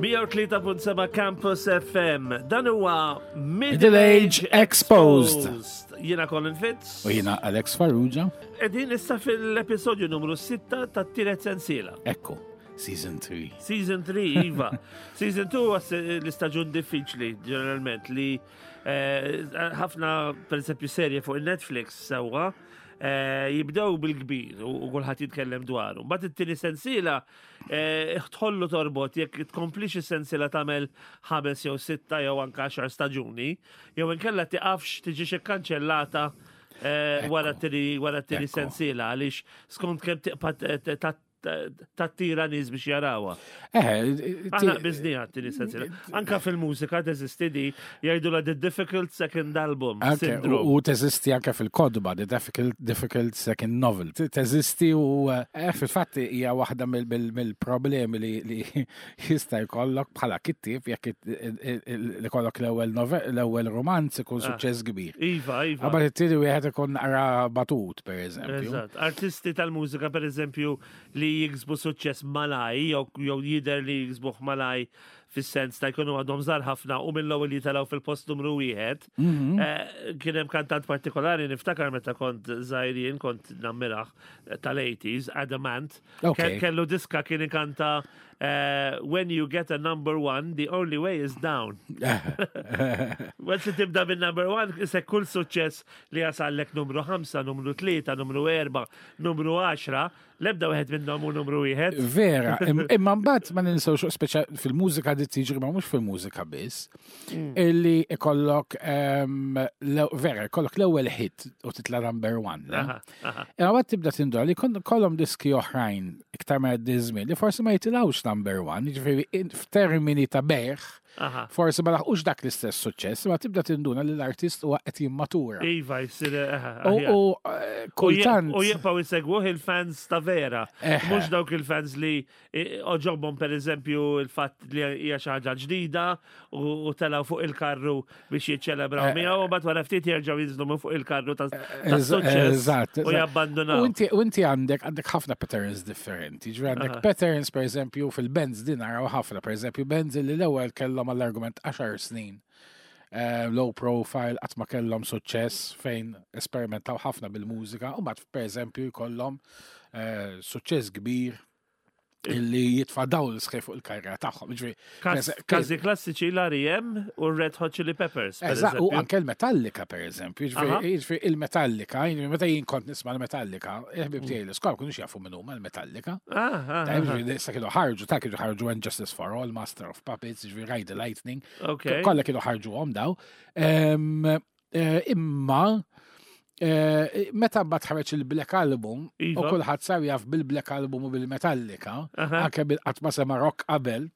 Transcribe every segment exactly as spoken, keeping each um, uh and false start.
mija u tlieta punt seba' Campus F M. Dan huwa Middle Age Exposed. Jiena Colin Fitz. U jiena Alex Farrugia. Qegħdin issa fil-episodju numru sitta tat-tielet sensiela. Ekku, Season three. Season three, iva. Season two huwa l-istaġun diffiċli, ġeneralment, li eh, ħafna, per eżempju, serje fuq il-Netflix sewwa, eh, jibdew bil-kbir u u kulħadd jitkellem dwaru. Mbagħad it-tieni sensiela eh, tħollu torbot jekk tkomplix is-sensiela tagħmel ħames jew sitta jew anke għaxar staġuni, jew inkella tiqafx, tiġix ikkanċellata eh, wara t-tieni wara t-tieni Ekku. sensiela, għaliex skont kemm tiqpa' t- t- tattira nies biex jarawha. Eh, Aħna bizni għat-tieni sensiela. Anka fil-mużika teżisti di, jgħidu la the difficult second album Anke, syndrome. u u teżisti anke fil-kotba, The Difficult, difficult Second Novel. Te- Teżisti u eh, fil-fatt hija waħda mill- mill- mill-problemi li, li jista' jkollok bħala kittieb jekk it- il- il- li kollok l-ewwel novel- l-ewwel romanz ikun Ah. suċċess kbir. Iva, iva. Qabel it-tieni wieħed ikun naqra batut, per eżempju. Eżatt. Artisti tal-mużika, per eżempju, li jiksbu suċċess malaj, jew jew jider li jiksbuh malaj fis-sens ta' jkunu għadhom żgħar ħafna u mill-ewwel jitilgħu fil-post numru wieħed. Mhm. Eh, Kien hemm kantant partikolari, niftakar meta kont żgħir jien kont nammirah, eh, tal-eighties, Adam Ant. Ok. Ke- Kellu diska kien ikanta eh, "When you get a number one, the only way is down." Once li tibda bin number one, se kull suċċess li jasallek numru ħamsa, numru tlieta, numru erba', numru għaxra, lebda wieħed minnhom u numru wieħed. Vera, im- imma mbagħad ma ninsewx, speċa fil-mużika di tiġri, ma mhux fil-mużika biss, illi ikollok em, le- vera, ikollok l-ewwel hit u titla number one, le? Aha, aha. Imma mbagħad tibda tindura li kon- kollhom diski oħrajn iktar ma jgħaddi żmien li forsi ma jitilgħux number one, jiġifieri in- f'termini ta' bejgħ, Aha. forsi ma laħqux dak l-istess suċċess, imma tibda tinduna li l-artist huwa qed jimmatura. Iva, jsir. Aha, U aħjar. u, eh, kultant. U jibqaw jisegwuh il-fans ta' vera. Eħe. Mhux dawk il-fans li eh, għoġobhom, per eżempju, il-fatt li hija xi ħaġa ġdida u u telgħu fuq il-karru biex jiċċelebraw Eh, miegħu u mbagħad wara ftit jerġgħu jinżlu minn fuq il-karru ta' ta' Eż- suċċess Eżatt. u eżatt. jabbandunaw. U inti u inti għandek għandek ħafna patterns differenti. Ġifieri għandek Aha. patterns, per eżempju, fil-bands din naraw ħafna, per eżempju, bands li l-ewwel kellhom għall-argument għaxar snin. eh, low profile, qatt ma kellhom suċċess, fejn esperimentaw ħafna bil-mużika, u mbagħad, per eżempju, jkollhom eh, suċċess kbir illi jitfa' dawl sħiħ fuq il-karriera tagħhom. Ġifieri, Kas- Każi klassiċi l-R E M u Red Hot Chili Peppers, per Eżatt, u eżempju. anke l-Metallica, per eżempju. Aha. Ġifieri, ġifieri il-Metallica, jiġifieri meta jien kont nisma' l-Metallica, il-ħbib tiegħi l-iskola kienu jafu minn huma l-Metallica. Ah, ah, Ta' ah, ġifieri issa kienu ħarġu, ta' kienu ħarġu And Justice for All, Master of Puppets, ġifieri Ride the Lightning. Ok. Kollha kienu ħarġuhom daw. Em, eh, Imma eh, meta mbagħad ħareġ il-Black Album u Iva. kulħadd sar jaf bil-Black Album u bil-Metallica, Aha. anke bil-qatt ma sema rock qabel.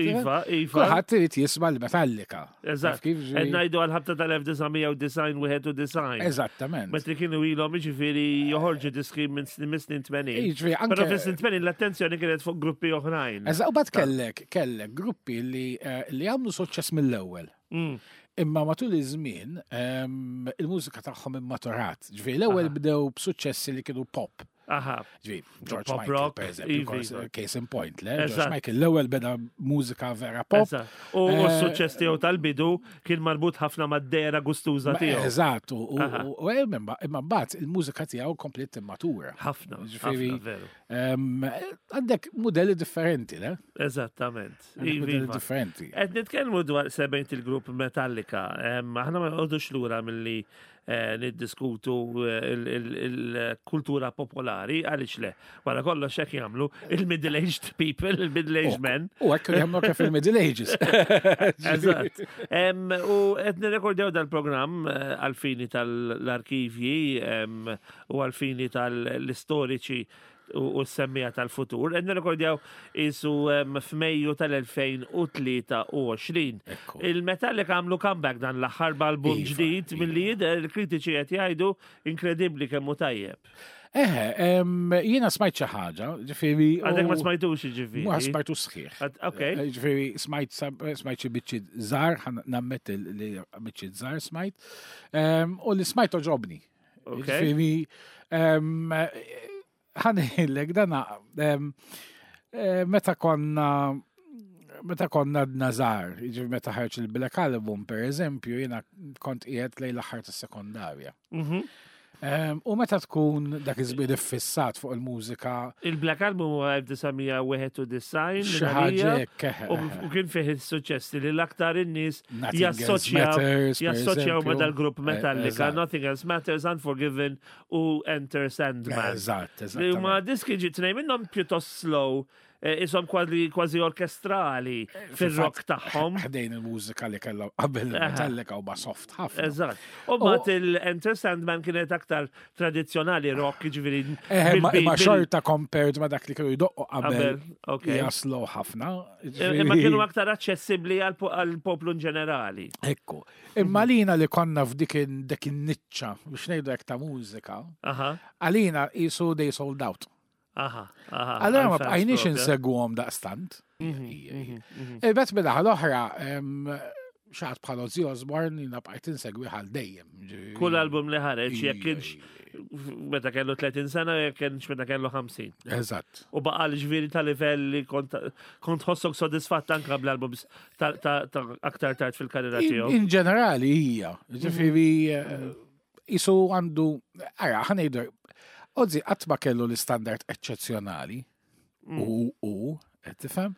Iva, iva. Kulħadd irid jisma' l-Metallica. Eżatt. Taf kif, Qed ġifieri? ngħidu għal-ħabta tal-elf disa' mija u disgħin, wieħed u disgħin. Eżattament. Meta kienu ilhom, jiġifieri, joħorġu diski minn snin minn snin tmenin. Jiġifieri Però anke fis-snin tmenin l-attenzjoni kienet fuq gruppi oħrajn. Eżatt, u mbagħad kellek kellek gruppi li eh, li għamlu suċċess mill-ewwel. Mm. Imma matul iż-żmien em, il-mużika tagħhom immaturat. Ġifieri l-ewwel Aha. bdew b'suċċessi li kienu pop. Aha. Ġifieri George Pop Michael, rock, per eżempju, iva, kors- iva. case in point, le? George Eżatt. Michael l-ewwel beda mużika vera pop. Eżatt. U u Eh, s-suċċess tiegħu tal-bidu kien marbut ħafna mad-dehra gustuża Ma- tiegħu. Eżatt, u- u Aha. u- u imma imma mbagħad il-mużika tiegħu komplet immatura. Ħafna, Ġifieri- ħafna, veru. Em, Għandek modelli differenti, le? Eżattament. Għandek Iva, modelli iva. differenti. Qed nitkellmu dwar sebgħin il-grupp Metallica. Em, Aħna ma nqogħdux lura milli eh, niddiskutu eh, il- il- il-kultura popolari, għaliex le? Wara kollox hekk jagħmlu il-middle-aged people, il-middle-aged men. U hekk jagħmlu anke fil-Middle Ages. Eżatt. Em, U qed nirrekordjaw dal-programm eh, għal-fini tal-arkivji em, u għal-fini tal-istoriċi u u s-semmija tal-futur. Qed nirrekordjaw isu em, f'Mejju tal-elfejn u tlieta u għoxrin. Ekku. Il-Metallica għamlu comeback dan l-aħħar b'album Iva, ġdid iva. milli jidher il-kritiċi qed jgħidu inkredibbli kemm hu tajjeb. Eħe, em, jiena smajt xi ħaġa, ġifieri. Għadek ma u- smajtux, ġifieri. Ma smajtu sħiħ. Għad- Ok. Eh, Ġifieri smajt sab- smajt xi biċċi żgħar, ħa nammetti li biċċi żgħar smajt. Em, U li smajt għoġobni. Ok. Ġifieri em, ħa ngħidlek dana em, eh, meta konna meta konna nazar, jiġifieri meta ħarġ il-Black Album, per eżempju, jiena kont qiegħed lejn l-aħħar tas-sekondarja. Mhm. Em, U meta tkun dak iż-żmien iffissat fuq il-mużika, Il-Black Album huwa elf disa' mija wieħed u disgħin xi minn ħaġa għalija, hekk, eħe, u eħe. u kien fih il-suċċessi li l-aktar in-nies Nothing Else jassoċjaw Matters, per jassoċjaw ma eżempju. dal-grupp Eh, Metallica, eżatt. Nothing Else Matters, Unforgiven u Enter Sandman. Eżatt, Li huma eżatt. diski ġi tnejn minnhom pjuttost slow, eh, isom kważi kważi orkestrali fir-rock tagħhom. Ħdejn il-mużika li kellha qabel il-Metallica u ma soft ħafna. Eżatt. U mbagħad il-Enter Sandman kienet aktar tradizzjonali rock, ġifieri Eh, ma bil- ma bil- xorta compared ma dak li kienu jdoqqu qabel Qabel, ok. hija slow ħafna. Imma kienu aktar aċċessibbli għal po- għal poplu in ġenerali. Ekku. Imma lina li konna f'dik in- dik in-niċċa biex ngħidu hekk ta' mużika, Aha, għalina qisu they sold out. aha, aha. Allora ma għal-fans bqajniex propja. insegwhom daqstant. Mhm, mhm, mhm. Il-bet bil l-oħra, xi ħadd bħal Ozzy Osbourne jiena bqajt insegwi għal dejjem. Ġifieri- Kull album li ħareġ, jekk Ija, kienx meta kellu tletin sena, jekk kienx meta kellu ħamsin. Eżatt. U baqa l-ġviri ta' livell li kont kont ħossok sodisfatt anka bl-albums ta' ta' ta' aktar tard fil-karriera In tiegħu. in ġenerali hija. Ġifieri eh, isu għandu, ara, ħa ngħidu, Ozzy qatt ma kellu l-istandard eċċezzjonali u u, qed tifhem?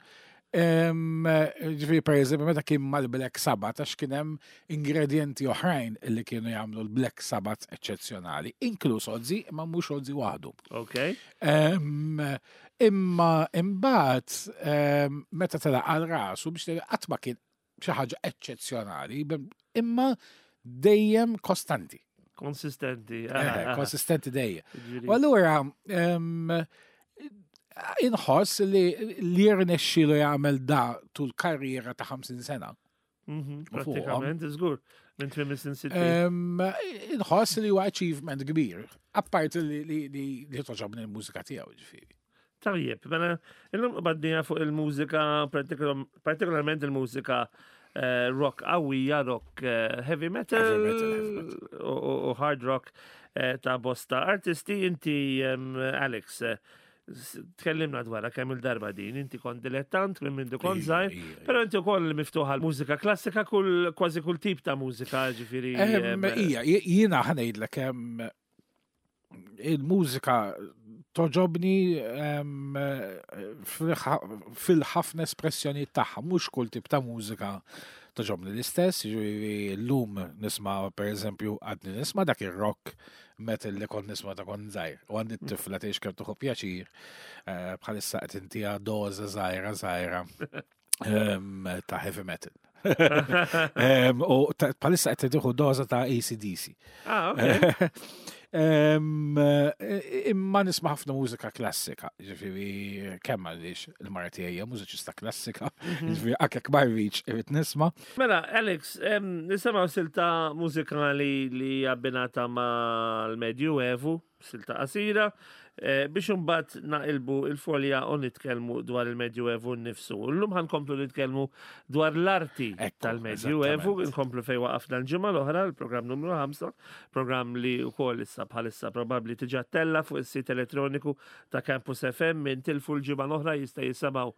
Em, Ġifieri per eżempju, meta kien mal-Black Sabbath, għax kien hemm ingredienti oħrajn li kienu jagħmlu l-Black Sabbath eċċezzjonali, inkluż Ozzy, imma mhux Ozzy waħdu. Ok. Em, Imma imbagħad em, meta tela għal rasu biex tela qatt ma kien xi ħaġa eċċezzjonali, imma dejjem kostanti, Konsistenti. Eh, konsistenti dejjem. Ġifieri- U allura em, inħoss li li rnexxielu jagħmel da tul karriera ta' ħamsin sena. Mhm, U fuqhom. Pratikament, żgur. Minn tmiem is-snin sittin. Em, Inħoss li huwa achievement kbir, apparti li li li li toġobni l-mużika tiegħu ġifieri. Tajjeb, mela, illum baddija fuq il-mużika, partikolar- partikolarment il-mużika eh, rock qawwija, rock eh, heavy metal, Heavy metal, heavy metal. u- u u hard rock eh, ta' bosta artisti. Inti, em, Alex, eh, s- tkellimna dwarha kemm il-darba din, inti kont dilettant minn mindu kont Ija, żgħir, ija, ija. però inti wkoll miftuħa l-mużika klassika, kull kważi kull tip ta' mużika, ġifieri. Em, em, Ija, jiena ħa ngħidlek em, il-mużika toġobni em, fil- fil-ħafna espressjoni tagħha, mhux kull tip ta' mużika toġobni l-istess, ġifieri llum nisma' per eżempju għadni nisma' dak ir-rock metal li kont nisma' ta' kont żgħir. U għandi t-tifla tgħix kemm tieħu pjaċir eh, bħalissa qed intiha doża żgħira żgħira em, ta' heavy metal. Em, U ta- bħalissa qed tieħu doża ta' A C D C. Ah, ok. Em, eh, Imma nisma' ħafna mużika klassika, ġifieri kemm għaliex il-mara tiegħi hija mużiċista klassika, ġifieri anke ma rridx irrid nisma'. Mela, Alex, em, nisimgħu silta mużikali li abbinata mal-Medju Evu, silta qasira, eh, biex imbagħad naqilbu il-folja u nitkellmu dwar il-Medju Evu nnifsu. Illum ħa nkomplu nitkellmu dwar l-arti Ekku, tal-Medju Evu, eżattament. nkomplu fej waqafna l-ġimgħa l-oħra, il-programm numru ħamsa, programm li wkoll issa bħalissa probabbli diġà ttella' fuq is-sit elettroniku ta' Campus F M minn tilfu l-ġimgħa l-oħra jista' jisimgħu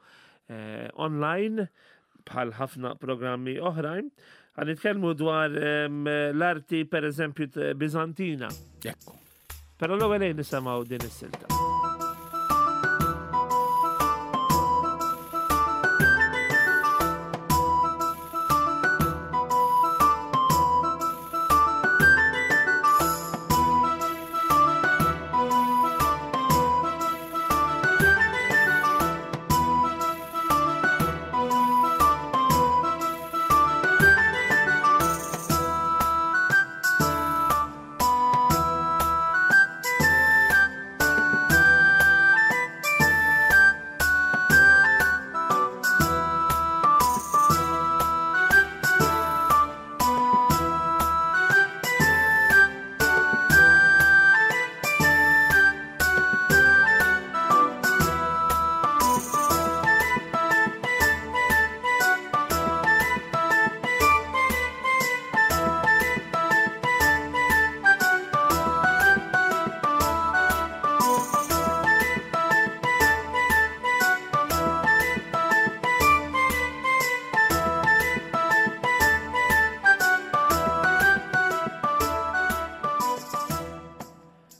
eh, online bħal ħafna programmi oħrajn. Ħa nitkellmu dwar em, l-arti per eżempju t- Bizantina. Ekku. Però l-ewwel ejja nisimgħu din is-silta. Thank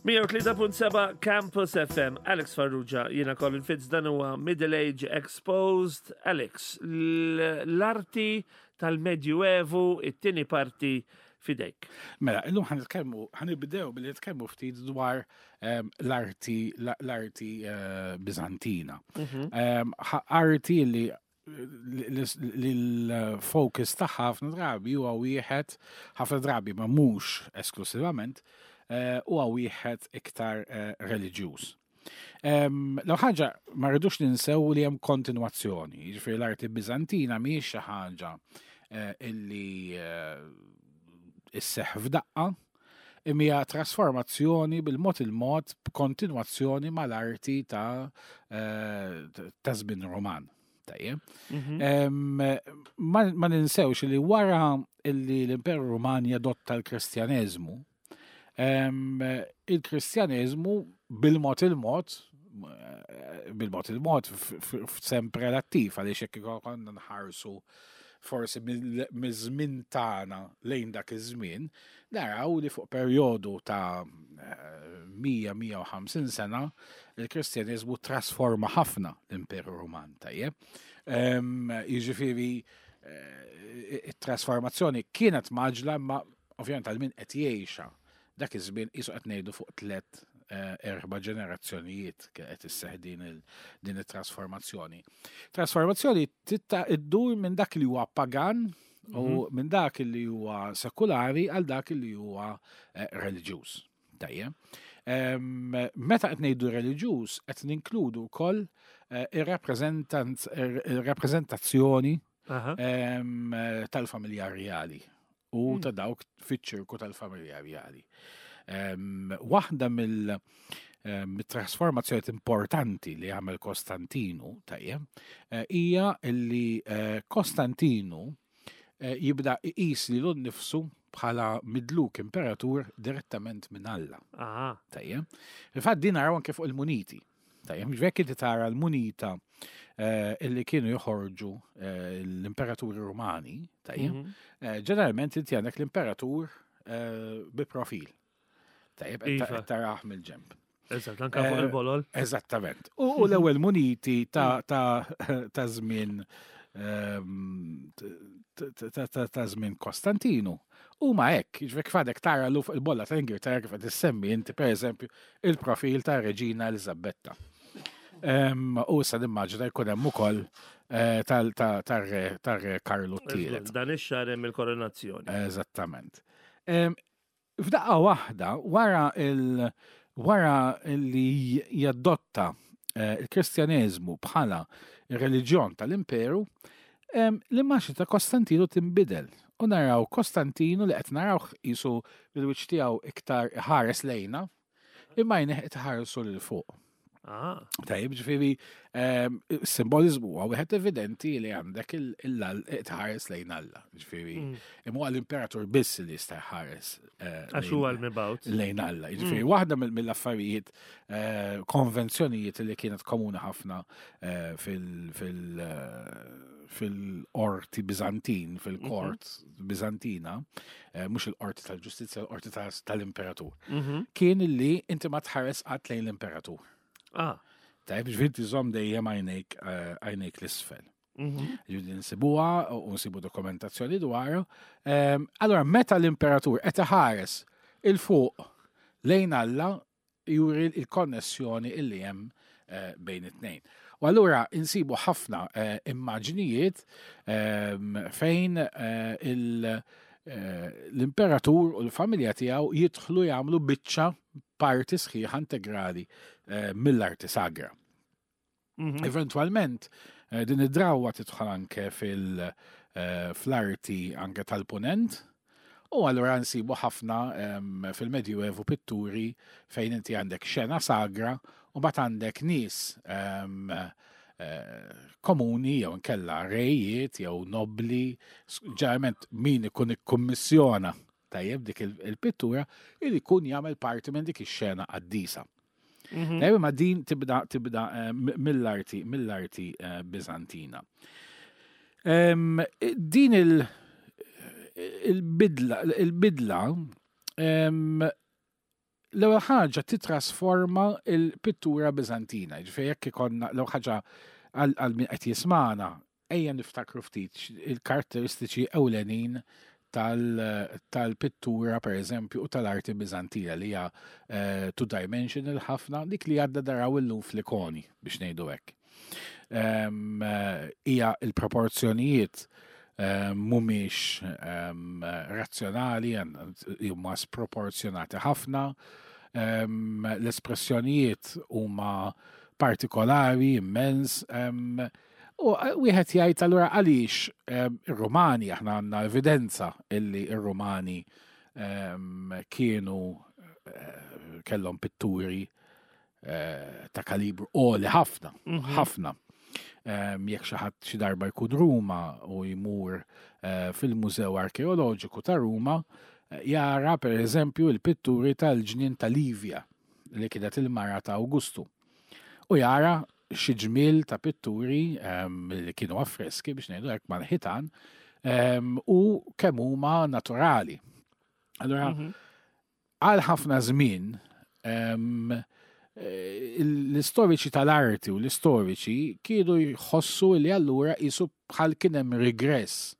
mija u tlieta punt seba' Campus F M, Alex Farrugia, jiena Colin Fitz, dan huwa Middle Age Exposed. Alex, l-arti tal-Medjuevu, it-tieni parti fidejk. Mela, illum ħa nitkellmu, ħa nibdew billi nitkellmu ftit dwar em, l-arti l-arti eh, Bizantina. Em, ħa- Arti li li l-focus tagħha ħafna drabi huwa wieħed, ħafna drabi ma mhux esklusivament, eh, huwa wieħed iktar eh, reliġjuż. Em, L ħaġa, ma rridux ninsew li hemm kontinwazzjoni, jiġifieri l-arti Bizantina mhijiex xi ħaġa eh, illi eh, isseħ f'daqqa, imma hija trasformazzjoni bil-mod il-mod b'kontinwazzjoni mal-arti ta' eh, ta' żmien Roman. Tajjeb. Em, Ma ma ninsewx li wara illi l-Imperu Roman jadotta l-Kristjaneżmu, em, il-Kristjaneżmu bil-mod il-mod, eh, bil-mod il-mod f'sens relattiv, għaliex jekk konna nħarsu forsi miż-żmien tagħna lejn dak iż-żmien, naraw li fuq perjodu ta' mija mija u ħamsin sena il-Kristjaneżmu trasforma ħafna l-Imperu Roman, tajjeb. Em, Jiġifieri eh, it-trasformazzjoni kienet mgħaġġla, imma ovvjament għal min qed jgħixha dak iż-żmien qisu qed ngħidu fuq tliet eh, erba' ġenerazzjonijiet qed isseħ din il- din it-trasformazzjoni. Trasformazzjoni titta iddur minn dak li huwa pagan u minn dak li huwa sekulari għal dak li huwa eh, reliġjuż. Tajjeb. Em, Meta qed ngħidu reliġjuż, qed ninkludu wkoll eh, ir-rappreżentanz- ir-rappreżentazzjoni Aha. em, tal-familja reali u ta' dawk fiċ-ċirku tal-familja reali. Em, Waħda mill em, mit-trasformazzjoni importanti li għamel Kostantinu, tajjeb, eh, hija li eh, Kostantinu eh, jibda iqis lilu nnifsu bħala midluk imperatur direttament minn Alla. Aha. Tajjeb. Il-fatt din naraw anke fuq il-muniti. Tajjeb, ġvekk inti tara l-munita eh, illi kienu joħorġu eh, l-imperaturi Romani, tajjeb, Mhm. eh, ġeneralment inti għandek l-imperatur eh, bi profil. Tajjeb, qed Iva. qed tarah mill-ġemp. Eżatt, anka fuq Eh, il-bolol. Eżattament. U u l-ewwel muniti ta' ta' ta' żmien ehm, t- t- ta' ta' żmien Kostantinu. U ma hekk, jiġifieri kif għadek tara l fuq il-bolla ta' Ingilterra, kif qed issemmi inti, pereżempju, il-profil ta' Reġina Elizabetta. Ehm, U issa nimmaġina jkun hemm ukoll eh, tal- ta' tar-re tar-re Karlu t-tielet. Dan ix-xahar hemm il-koronazzjoni. Eżattament. Em, F'daqqa waħda, wara il wara li jadotta eh, il-Kristjaneżmu bħala ir-reliġjon tal-imperu, em, l-immaġni ta' Kostantinu tinbidel. U naraw Kostantinu li qed narawh qisu bil-wiċċ tiegħu iktar ħares lejna, imma għajnejh qed iħarsu lil fuq. Ah. Tajjeb, ġifieri, em, simbolizmu huwa wieħed evidenti li għandek il-tħares lejn Alla. Ġifieri, Mm. imma huwa l-imperatur biss li jista' jħares eh, Għax lejn- huwa l-mibgħut. lejn Alla. Ġifieri, waħda mill- mill-affarijiet, eh, konvenzjonijiet li kienet komuni ħafna eh, fil- fil- eh, fil-qorti Bizantin, fil-kort Bizantina, eh, mhux il-qorti tal-ġustizzja, il-qorti tal- tal-imperatur, Mhm. kien li inti ma tħares qatt lejn l-imperatur. Ah. Tajb, ġifieri tiżomm dejjem għajnejk eh, għajnejk l-isfel. Mhm. Ġifieri nsibuha u nsibu dokumentazzjoni dwarha. Ehm, Allora, meta l-imperatur qed iħares 'il fuq lejn Alla, juri il-konnessjoni illi hemm eh, bejn it-tnejn. U allura insibu ħafna eh, immaġnijiet ehm, fejn eh, il- eh, l-imperatur u l-familja tiegħu jidħlu jagħmlu biċċa parti sħiħa integrali eh, mill-arti sagra. Mhm. Eventualment, eh, din id-drawwa tidħol anke fil- eh, fl-arti anke tal-ponent, u allura nsibu ħafna em, fil-Medjuevu pitturi fejn inti għandek xena sagra u mbagħad għandek nies em, eh, komuni jew nkella rejiet jew nobli, s- ġeneralment min ikun ikkummissjona tajjeb dik il- il-pittura il ikun jagħmel parti minn dik ix-xena qaddisa. Mhm. Tajjeb, ma din tibda tibda eh, m- mill-arti mill-arti eh, Bizantina. Em, Din il- il-bidla il-bidla em, L-ewwel ħaġa titrasforma il-pittura Biżantina. Ġifieri jekk ikollna l-ewwel ħaġa għal min qed jismana, ejja niftakru ftit il-karatteristiċi ewlenin tal-pittura per eżempju u tal-arti Biżantina li hija eh, two-dimensional ħafna, dik li għadna naraw illum fl-ikoni, biex ngħidu hekk. Eh, hija il-proporzjonijiet mhumiex razzjonali, huma sproporzjonati ħafna, l-espressjonijiet huma partikolari, immens, u wieħed jgħid allura għaliex ir-Rumani, aħna għandna evidenza illi ir-Rumani kienu eh, kellhom pitturi eh, ta' kalibru għoli ħafna, mhm. ħafna. Jekk xi ħadd xi darba jkun Ruma u jmur eh, fil-Mużew Arkeoloġiku ta' Ruma, jara per eżempju il-pitturi tal-ġnien ta' Livia li kienet il-mara ta' Augustu. U jara xi ġmiel ta' pitturi li kienu affreski, biex ngħidu hekk, mal-ħitan u kemm huma naturali. Allora, mhm. għal ħafna żmien l-istoriċi tal-arti u l-istoriċi kienu jħossu li allura jisu bħal kien hemm regress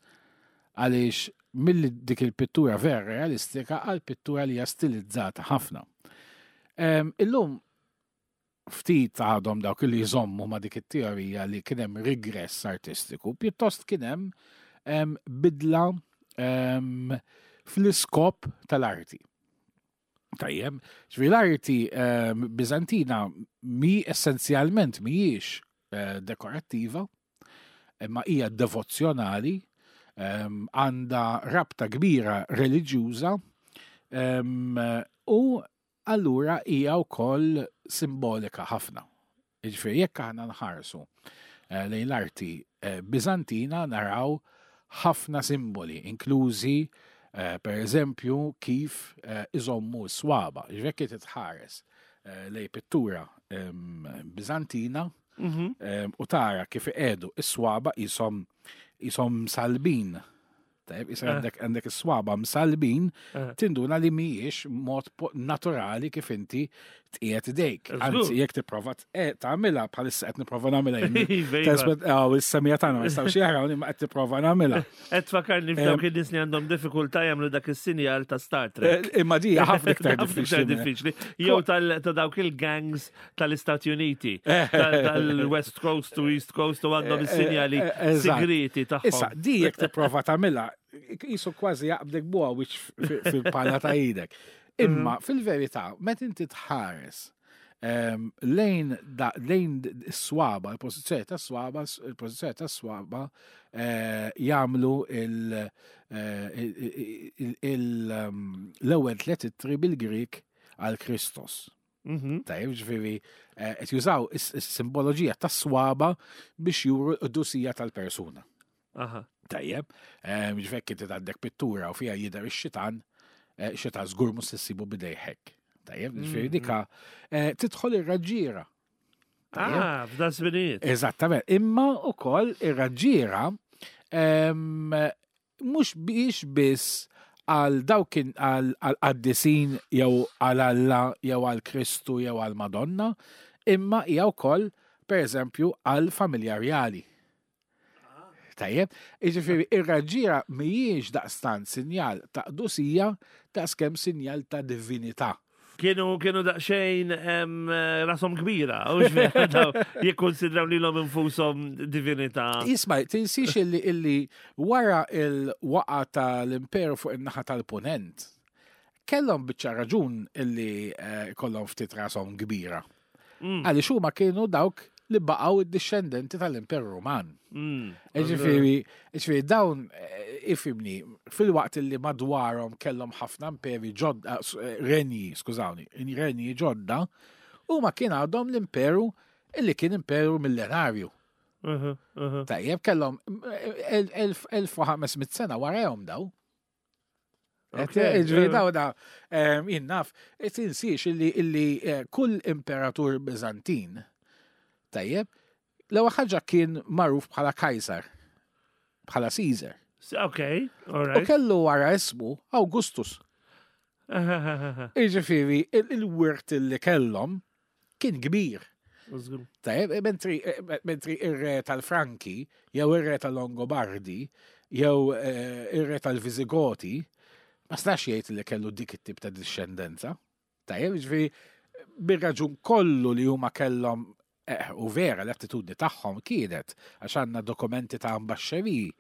għaliex mill dik il-pittura vera realistika għal pittura li hija stilizzata ħafna. Illum ftit għadhom dawk li jżommu ma' dik it-teorija li kien hemm regress artistiku, pjuttost kien hemm bidla fl-iskop tal-arti. Tajjeb, ġifieri l-arti Bizantina mi essenzjalment mhijiex eh, dekorattiva, imma hija devozzjonali, għandha rabta kbira reliġjuża u allura hija wkoll simbolika ħafna. Ġifieri jekk aħna nħarsu eh, lejn l-arti eh, Bizantina naraw ħafna simboli, inklużi eh, per eżempju kif iżommu s-swaba. Ġifieri jekk titħares lejn pittura Bizantina mhm. u tara kif iqiegħdu is-swaba jisom jisom salbin. Tajb, issa eh. għandek għandek is-swaba msalbin, eh. tinduna li mhijiex mod naturali kif inti tqiegħed idejk. Anzi, jekk tipprova eh, tagħmilha, bħalissa qed nipprova nagħmilha. Iva, is-semija tagħna ma jistgħux jaraw imma qed tipprova nagħmilha. Qed tfakarni f'dawk in-nies li għandhom diffikultà jagħmlu dak is-sinjal ta' Star Trek. Imma di ħafna iktar diffiċli. Jew ta' dawk il-gangs tal-Istati Uniti, tal-West Coast to East Coast, u għandhom is-sinjali segreti tagħhom. Issa, di jekk tipprova tagħmilha, jisu kważi jaqbdek buha wiċ fil-pala ta' idek. Imma mhm. fil-verità, meta inti tħares lejn lejn s-swaba, il-pożizzjoni ta' swaba, il-pożizzjoni ta' swaba eh, jagħmlu eh, l-ewwel tliet ittri bil-Grik għal Kristos. Mhm. Tajjeb, ġifieri, eh, qed jużaw is-simboloġija tas-swaba biex juru l-qdusija tal-persuna. Tajjeb, ġifieri inti għandek pittura u fiha jidher ix-xitan, eh, xitan żgur mhux issibu b'idejh hekk. Tajjeb, ġifieri mm-hmm. dika eh, tidħol ir-raġġiera. Ah, f'dan żminijiet. Eżattament, imma ukoll ir-raġġiera mhux biex biss għal dawk għal qaddisin jew għal Alla jew għal Kristu jew għal Madonna, imma hija wkoll pereżempju għal familja rjali. Tajjeb, jiġifieri ir-raġġiera mhijiex daqstant sinjal ta' qdusija daqskemm sinjal ta' divinità. Kienu kienu daqsxejn em, rashom kbira, u jikkonsidraw lilhom infushom divinità. Isma', tinsiex illi illi wara il-waqa tal-imperu fuq in-naħa tal-punent, kellhom biċċa raġun illi eh, kollhom ftit rashom kbira. Mm. Għaliex huma kienu dawk li baqgħu id-discendenti tal-Imperu Ruman. Mm. Ġifieri, ġifieri dawn eh, ifimni, fil-waqt li madwarhom kellhom ħafna imperi ġodda, eh, renji, skużawni, renji ġodda, huma kien għadhom l-imperu illi kien imperu millenarju. Uh-huh, uh-huh. Tajjeb, kellhom eh, elf u ħames mitt sena warahom daw. Ġifieri daw da, jien naf, tinsiex illi illi kull imperatur Bizantin, tajjeb, l-ewwel ħaġa kien magħruf bħala Kajsar, bħala Caesar. Ok, all right. U kellu wara ismu Augustus. Iġifieri, il-wirt li kellhom kien kbir. Tajjeb, mentri mentri ir-re tal-Franki, jew ir-re tal-Longobardi, jew eh, ir-re tal-Visigoti, ma stax jgħid li kellu dik it-tip ta' discendenza. Tajjeb, ġifieri, bir-raġun kollu li huma kellhom eh, u vera l-attitudni tagħhom kienet għax għandna dokumenti ta' ambaxxeriji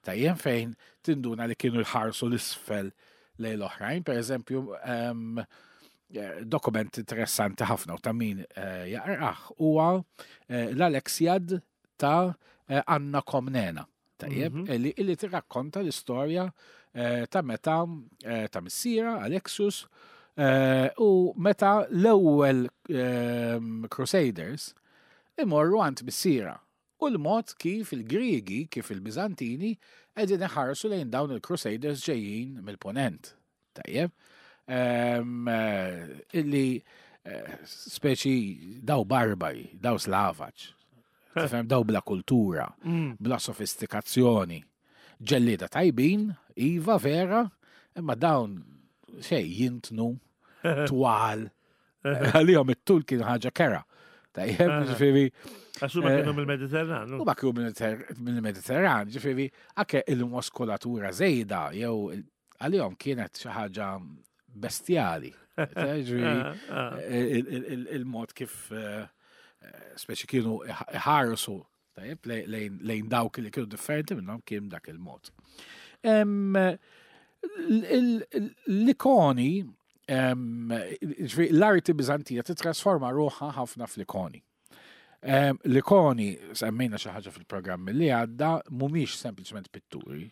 tajjeb fejn tinduna li kienu jħarsu l-isfel lejn l-oħrajn, per eżempju, em, eh, dokument interessanti ħafna u ta' min eh, jaqrah huwa eh, l-Alexiad ta' eh, Anna Komnena. Tajjeb, Mhm. illi, illi tirrakkonta l-istorja eh, ta' meta eh, ta' missiera Alexius eh, u meta l-ewwel ehm, Crusaders imorru għand missiera. U l-mod kif il-Griegi, kif il-Bizantini, qegħdin iħarsu lejn dawn il-Crusaders ġejjin mill-Ponent. Tajjeb. Ehm, eh, illi eh, speċi daw barbari, daw slavaġ. Tifhem daw bla kultura, Mm. bla sofistikazzjoni. Ġellieda tajbin, iva vera, imma dawn xej jintnu, twal. Għalihom it-tul kien ħaġa kera. Tajjeb, Aha. ġifieri, Għax huma Eh, kienu mill-Mediterran. u ma kienu mill-Mediterran, ġifieri, anke il-muskolatura żejda, jew il- għalihom kienet xi ħaġa bestjali. Ġifieri, Ah, ah. il- il- il- il-mod kif eh, eh, speċi kienu iħarsu tajjeb, lejn- lejn lejn dawk li kienu differenti minnhom kien dak il-mod. Em, l- il- il- L-ikoni, em, ġifieri, l-arti Bizantina titrasforma ruħha ħafna fl-ikoni. Em, L-ikoni, semmejna xi ħaġa fil-programm li għadda, mhumiex sempliċement pitturi.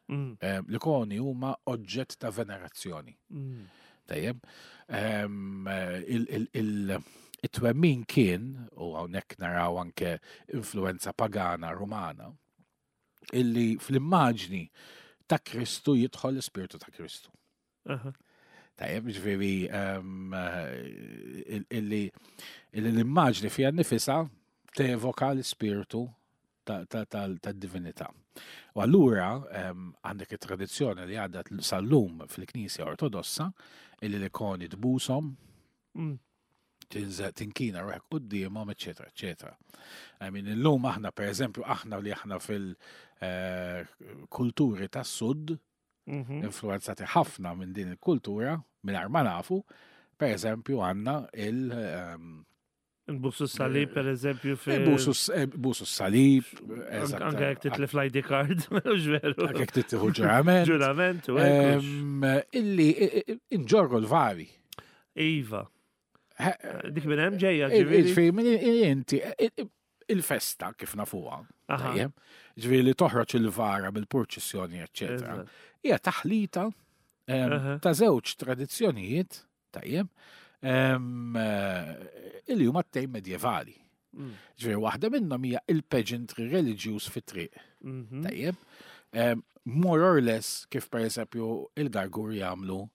Mm, Em, L-ikoni huma oġġett ta' venerazzjoni. mm. Tajjeb. Em, eh, il- il- il- It-twemmin kien, u hawnhekk naraw anke influenza pagana rumana, illi fl-immaġni ta' Kristu jidħol l-ispirtu ta' Kristu. Aha. Tajjeb, ġifieri em, eh, il- illi illi l-immaġni fija nifisa tevoka l-ispirtu ta- ta- tal- tad-divinità. U allura em, għandek it-tradizzjoni li għadha sal-lum fil-Knisja Ortodossa illi l-ikoni tbushom, Mm. tinżel tinkina ruħek quddiemhom, eċetera, eċetera. I mean, illum aħna, per eżempju, aħna li aħna fil-kulturi tas-sud, Mhm. influenzati ħafna minn din il-kultura, minn ma nafu, per eżempju, għandna il- ehm, Nbusu s-salib, per eżempju, fi. il-busu eh, busu salib, Anke anke jekk titlef l-ID card, mhux veru. Anke jekk tittieħu ġurament. Ġurament, u hekk hux. Ehm, Illi i- i- inġorru l-vari. Iva. Eh, Dik minn hemm ġejja, ġifieri. Ġifieri, minn inti, il-festa kif nafuha, Aha. tajjeb, ġifieri li toħroġ il-vara bil-purċissjoni, eċetera. Eżatt. Hija taħlita em, Aha. ta' żewġ tradizzjonijiet, tajjeb, em, eh, illi huma t-tejn medjevali. Mm. Ġifieri waħda minnhom hija il-pageantry reliġjuż fit-triq, Mhm. tajjeb. Em, More or less kif per eżempju il-Gargur jagħmlu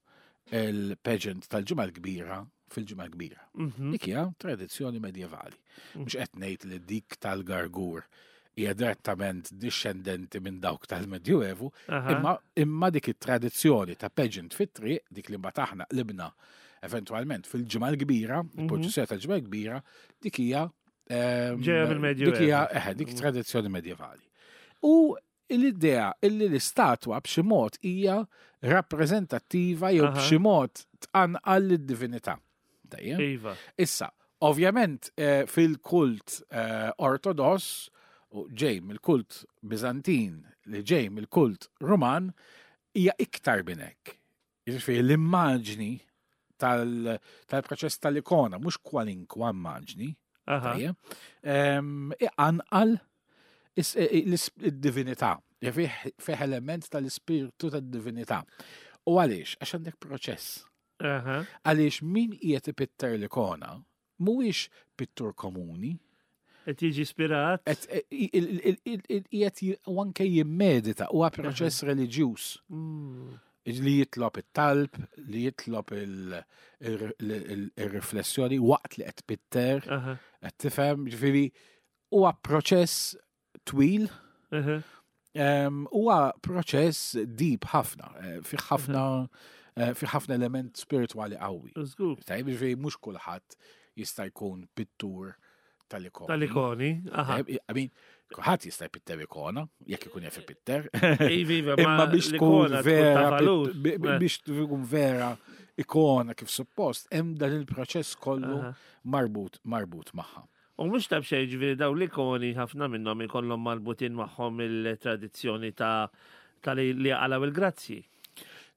il-pageant tal-ġimgħa l-kbira fil-ġimgħa l-kbira. Mhm. Dik hija tradizzjoni medjevali. Mhux qed ngħid li dik tal-Gargur hija direttament discendenti minn dawk tal-Medjuevu, Aha. imma imma dik it-tradizzjoni ta' pageant fit-triq, dik li mbagħad aħna qlibna eventwalment fil-ġimgħa l-kbira, il-purċissjoni tal-ġimgħa l-kbira, dik hija ehm, Ġejja mill-Medjuevu. Dik hija eħe, dik tradizzjoni medjevali. U l-idea illi l-istatwa b'xi mod hija rappreżentattiva jew Aha. b'xi mod tqanqal lid-divinità. Tajjeb? Iva. Issa, ovvjament eh, fil-kult eh, ortodoss, u ġej mill-kult Bizantin li ġej mill-kult Ruman, hija iktar minn hekk. Jiġifieri l-immaġni tal- tal-proċess tal-ikona, mhux kwalinkwa immaġni, Aha. tajjeb, em, iqanqal is- i- i- l-is- id-divinità, fih fih element tal-ispirtu tad-divinità. U għaliex? Għax għandek proċess. Aha. Għaliex min qiegħed ipitter l-ikona mhuwiex pittur komuni, Qed jiġi ispirat. qed i- il- il- il- il- qiegħed j- u anke jimmedita huwa proċess reliġjuż Mm. li jitlob it-talb, li jitlob il- il- il- il-riflessjoni waqt li qed pitter, Aha. qed tifhem, ġifieri huwa proċess twil, Aha. em, huwa proċess deep ħafna, eh, fih ħafna eh, fi ħafna element spiritwali qawwi. Żgur. Tajjeb, ġifieri mhux kulħadd jista' jkun pittur tal-ikoni. Tal-ikoni. Aha. Tajjeb, I mean, kulħadd jista' jpitter ikona, jekk ikun jaf ipitter. Iva, iva, Imma biex tkun l-ikona tkun ta' vera, valur. pit- bi- bi- Eh. biex tkun vera ikona kif suppost, hemm dan il-proċess kollu Aha. marbut marbut magħha. U mhux ta' b'xejn ġifieri daw l-ikoni ħafna minnhom ikollhom marbutin magħhom il-tradizzjoni ta' ta' li li għalaw il-grazzji.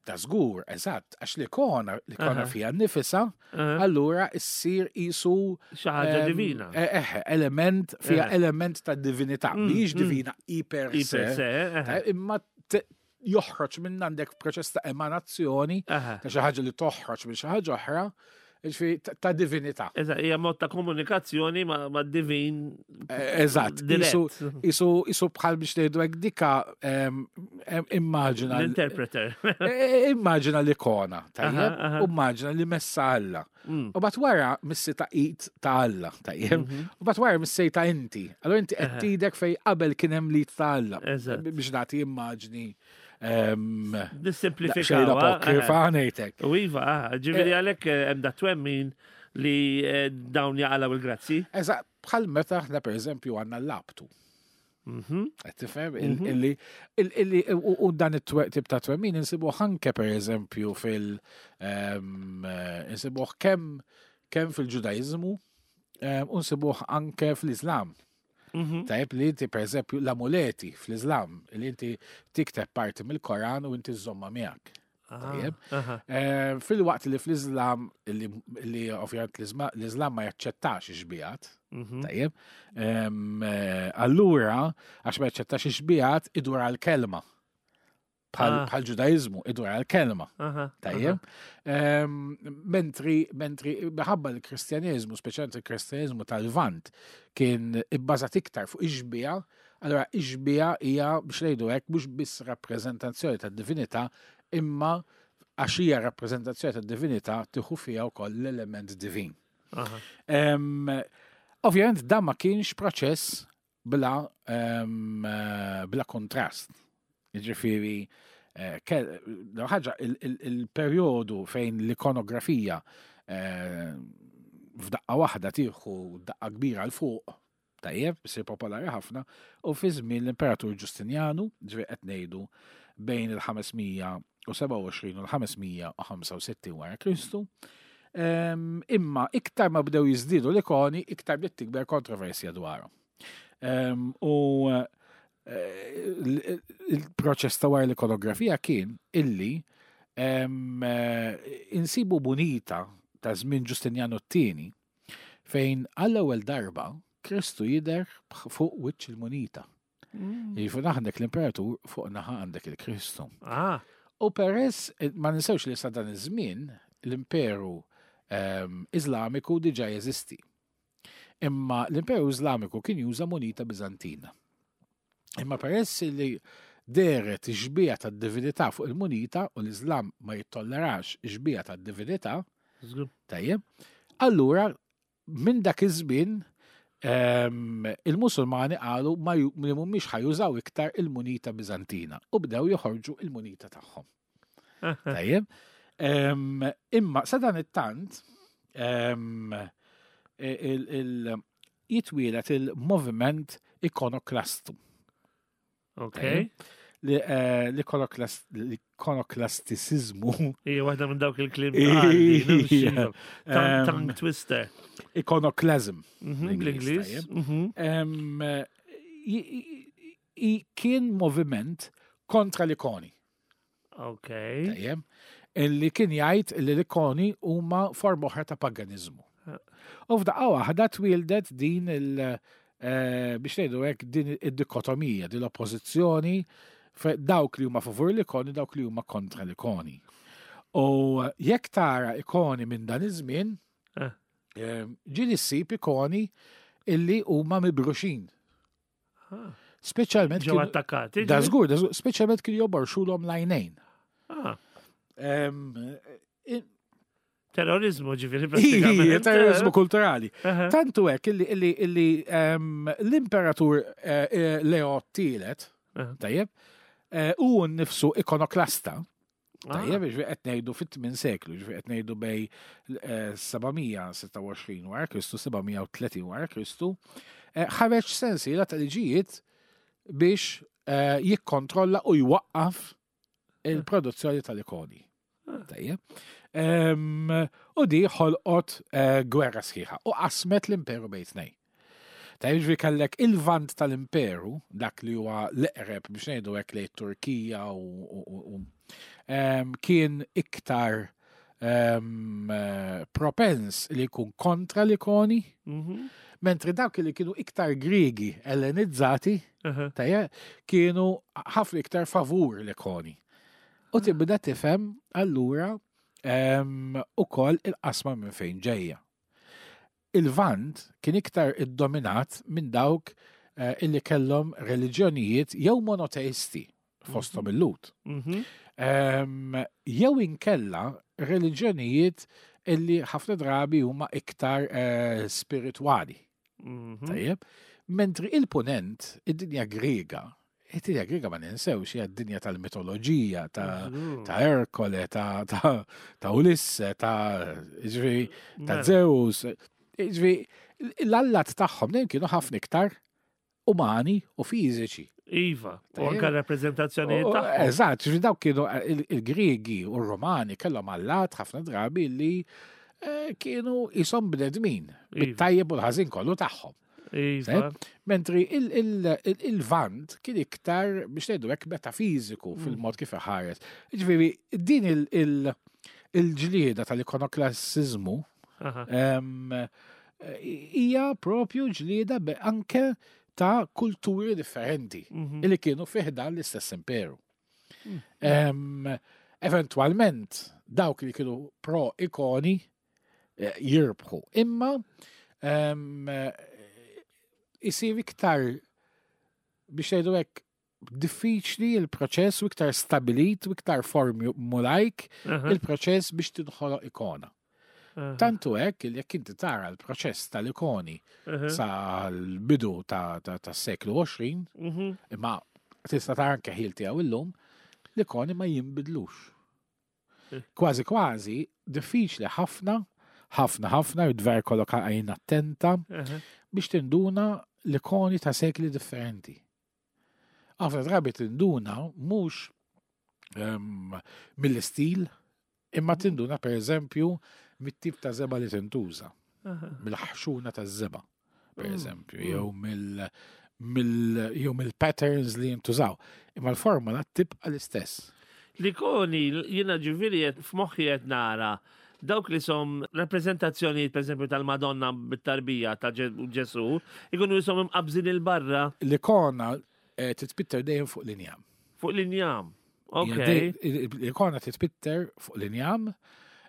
Ta' żgur, eżatt, għax l-ikona, l-ikona Aha. fija nifisa, Aha. allura issir isu Xi ħaġa em, divina. Eh, eh, element fija Eh. element ta' divinità, Mm, mhijiex mm. divina iper Iper se, se, eh, eh, imma te- joħroġ minn għandek proċess ta' emanazzjoni Aha. ta' xi ħaġa li toħroġ minn xi ħaġa oħra, ġifieri ta- ta' divinità. Eżatt, hija mod ta' komunikazzjoni ma' ma' divin Eh, Eżatt, dirett. isu isu isu bħal biex ngħidu hekk dika em, em, immaġina L-interpreter. eh, immaġina l-ikona, Aha, tajjeb, aha. u immaġina li messa Alla. Mm. U bat wara missi ta' it ta' Alla, tajjeb, u bat wara missi ta' inti. Allora inti qed Mhm. Aha. tidek fej qabel kien hemm lit ta' Alla. Eżatt. Biex nagħti immaġni em, xejn Nissimplifikaw. apokrifa ngħidlek. U iva, aha, ġifieri għalhekk eh, hemm da twemmin li eh, dawn jaqalaw il-grazzi. Eżatt, bħal meta aħna pereżempju għandna l-labtu. Mhm. Qed tifhem Il- illi il- illi u u dan it-tip ta' twemmin insibuh anke pereżempju fil em, eh, insibuh kemm kemm fil-Ġudaiżmu em, u nsibuh anke fl-Iżlam. Mhm. Tajjeb li inti pereżempju l-amuleti fl-Iżlam li inti tikteb parti mill-Koran u inti żomma miegħek. Tajjeb. Aha. Eh, Fil-waqt li fl-Iżlam li li ovvjament l-Iżma- l-Iżlam ma jaċċettax ix-xbijat, Mhm. Tajjeb. Em, eh, Allura, għax ma jaċċettax ix-xbijat, idur għal-kelma. Bħal Ah. bħal ġudaizmu, idur għal-kelma. Aha. Tajjeb. Em, Mentri, mentri, minħabba l-Kristjaneżmu, speċjalment il-Kristjaneżmu tal-Vant, kien ibbażat iktar fuq ix-xbija, allura ix-xbija hija biex ngħidu hekk mhux biss rappreżentazzjoni tad-divinità, imma għax hija rappreżentazzjoni tad-divinità tieħu fiha wkoll l-element divin. Aha. Em, Ovvjament dan ma kienx proċess bla, em, eh, bla kontrast. Jiġifieri eh, ke- l ħaġa il- il- il-perjodu fejn l-ikonografija eh, f'daqqa waħda tieħu daqqa kbira 'l fuq, tajjeb, isir popolari ħafna, u fi żmien l-Imperatur Ġustinjanu, ġifieri qed ngħidu bejn il-ħames mija u sebgħa u għoxrin u l-ħames mija u ħamsa u sittin wara Kristu. Em, imma iktar ma bdew jiżdiedu l-ikoni, iktar bdiet tikber kontroversja dwarhom. Em, U eh, il- il-proċess ta' wara l-ikonografija kien illi em, eh, insibu munita ta' żmien Ġustinjanu t-tieni fejn għall-ewwel darba Kristu jidher fuq wiċċ il-munita. Mm. Jiġifieri għandek l-imperatur fuq naħa għandek il-Kristu. Ah, U peress, eh, ma ninsewx li sa dan iż-żmien l-imperu ehm, Iżlamiku diġà jeżisti. Imma l-imperu Iżlamiku kien juża munita Biżantina. Imma peress li deret ix-xbija tad-divinità fuq il-munita u l-Iżlam ma jittollerax ix-xbija tad-divinità, żgur. tajjeb, allura minn dak iż-żmien ehm, il-Musulmani qalu ma ju- li mhumiex ħajużaw iktar il-munita Biżantina u bdew joħorġu il-munita tagħhom. Tajjeb. Ehm, Imma sa dan it-tant ehm, il- il- jitwielet il-moviment ikonoklastu. Ok. Li, eh, L-ikonoklas- L-ikonoklastiċiżmu Hija waħda minn dawk il-kliem. Ija. Ehm, Tongue twister. Iconoclasm. Mhm, Bl-Ingliż, Bl-Ingliż. tajjeb. Mhm. Em, i- i- i- Kien moviment kontra l-ikoni. Ok. Tajjeb. Illi kien jgħid li l-ikoni huma forma oħra ta' paganizmu. U f'daqqa waħda twildet din il- eh, biex ngħidu hekk din id-dikotomija, din l-oppożizzjoni fe- dawk li huma favur l-ikoni, dawk li huma kontra l-ikoni. U jekk tara ikoni minn dan iż-żmien, Eh. eh, ġieli ssib ikoni illi huma mibruxin. Ah. Speċjalment Ġew kienu- attakkati. Da ġifieri? żgur, da żgur, speċjalment kienu joborxulhom l-għajnejn. Ah, Em, eh, Terrorizmu ġifieri Ija, pratikament. terrorizmu kulturali. Aha. Tantu hekk illi, illi, illi em, l-imperatur eh, eh, Leo Tielet, Aha. tajjeb, eh, u nnifsu ikonoklasta, Ah. Tajjeb, ġifieri qed ngħidu fit-tmien seklu, ġifieri qed ngħidu bejn eh, sebgħamija u sitta u għoxrin wara Kristu, sebgħamija u tletin wara Kristu, eh, ħareġ sensiela ta' liġijiet biex eh, jikkontrolla u jwaqqaf il-produzzjoni tal-ikoni. Tajjeb. Em, U di ħolqot eh, gwerra sħiħa u qasmet l-imperu bejn tnejn. Tajjeb, ġifieri kellek il-vant tal-imperu, dak li huwa l-eqreb biex ngħidu hekk lejn Turkija u, u, u, u em, kien iktar em, eh, propens li jkun kontra l-ikoni, Mhm. mentri dawk li kienu iktar Griegi ellenizzati, Aha. tajjeb, kienu ħafna iktar favur l-ikoni. U tibda tifhem allura em, ukoll il-qasma minn fejn ġejja. Il-Vant kien iktar iddominat minn dawk eh, illi kellhom reliġjonijiet jew monoteisti fosthom il-Lhud. Mhm. Em, jew inkella reliġjonijiet illi ħafna drabi huma iktar eh, spiritwali. Mhm. Tajjeb. Mentri il-ponent, id-dinja Griega, id-dinja Griega ma ninsewx hija d-dinja tal-mitoloġija, ta' Żgur. ta' Erkole, ta' ta' ta' Ulisse, ta' ġifieri, ta' Mela. Zeus. Ġifieri, l-allat tagħhom dejjem kienu ħafna iktar umani u fiżiċi. Iva, u Tajjeb. anka rappreżentazzjonijiet U- u- tagħhom. Eżatt, ġifieri dawk kienu il- il-Griegi u r-Romani kellhom allat ħafna drabi li eh, kienu jisom bnedmin, Iva. bit-tajjeb u l-ħażin kollu tagħhom. Iva. Mentri il- il- il- il-Vant kien iktar biex ngħidu hekk metafiżiku fil-mod kif iħares. Ġifieri din il- il- il-ġlieda tal-ikonoklassizmu Aha. em, hija propju ġlieda be- anke ta' kulturi differenti Mhm. illi kienu fi ħdan l-istess imperu. Em, Eventualment, dawk li kienu pro-ikoni eh, jirbħu. Imma em, eh, isir iktar biex ngħidu hekk diffiċli il-proċess u iktar stabilit u iktar formulajk Aha. il-proċess biex tinħoloq ikona. Aha. Tantu hekk li jekk inti tara l-proċess tal-ikoni Aha. sal-bidu ta' ta' tas-seklu għoxrin, Mhm. imma tista' tara anke ħil tiegħu illum, l-ikoni ma jinbidlux. Eh. Kważi kważi diffiċli ħafna, ħafna ħafna, id-dver kollok għajn attenta Aha. biex tinduna l-ikoni ta' sekli differenti. Ħafna drabi tinduna mhux em, mill-istil, imma tinduna per eżempju mit-tip ta' żebgħa li tintuża, Aha. mill-ħxuna ta' żebgħa, per Mm, eżempju, mm. jew mill mill jew mill-patterns li jintużaw. Imma l-formula tibqa l-istess. L-ikoni, jiena ġifieri qed- f'moħħi qed nara dawk li som rappresentazzjoni per esempio tal-Madonna bit-tarbija ta' Ġe- Ġesu, ikunu jisom imqabżin il-barra L-ikona eh, titpitter dejjem fuq l-injam. fuq l-injam. Ok. Hija dej- L-ikona titpitter fuq l-injam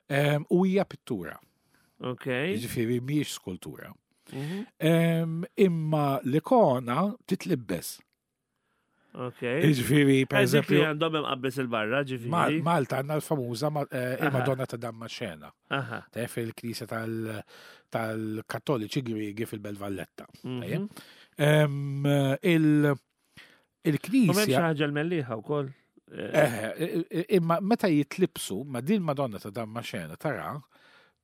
em, u hija pittura. Ok. Jiġifieri mhijiex skultura. Mhm. Em, Imma l-ikona titlibbes. Ok. Jiġifieri per Per eżempju, eżempju għandhom imqabbes il-barra, Mal- ġifieri. Malta għandna l-famuża ma- eh, Aha. il-Madonna ta' Dammaxena. Aha. Taf fil-knisja tal- tal-Kattoliċi Griegi fil-Belt Valletta. Mhm. Tajjeb? Em, il- U m'hemm xi Il-knisja ħaġa l-Mellieħa wkoll. Eh, Eh, eh, imma meta jitlibsu ma din Madonna ta' Dammaxena tara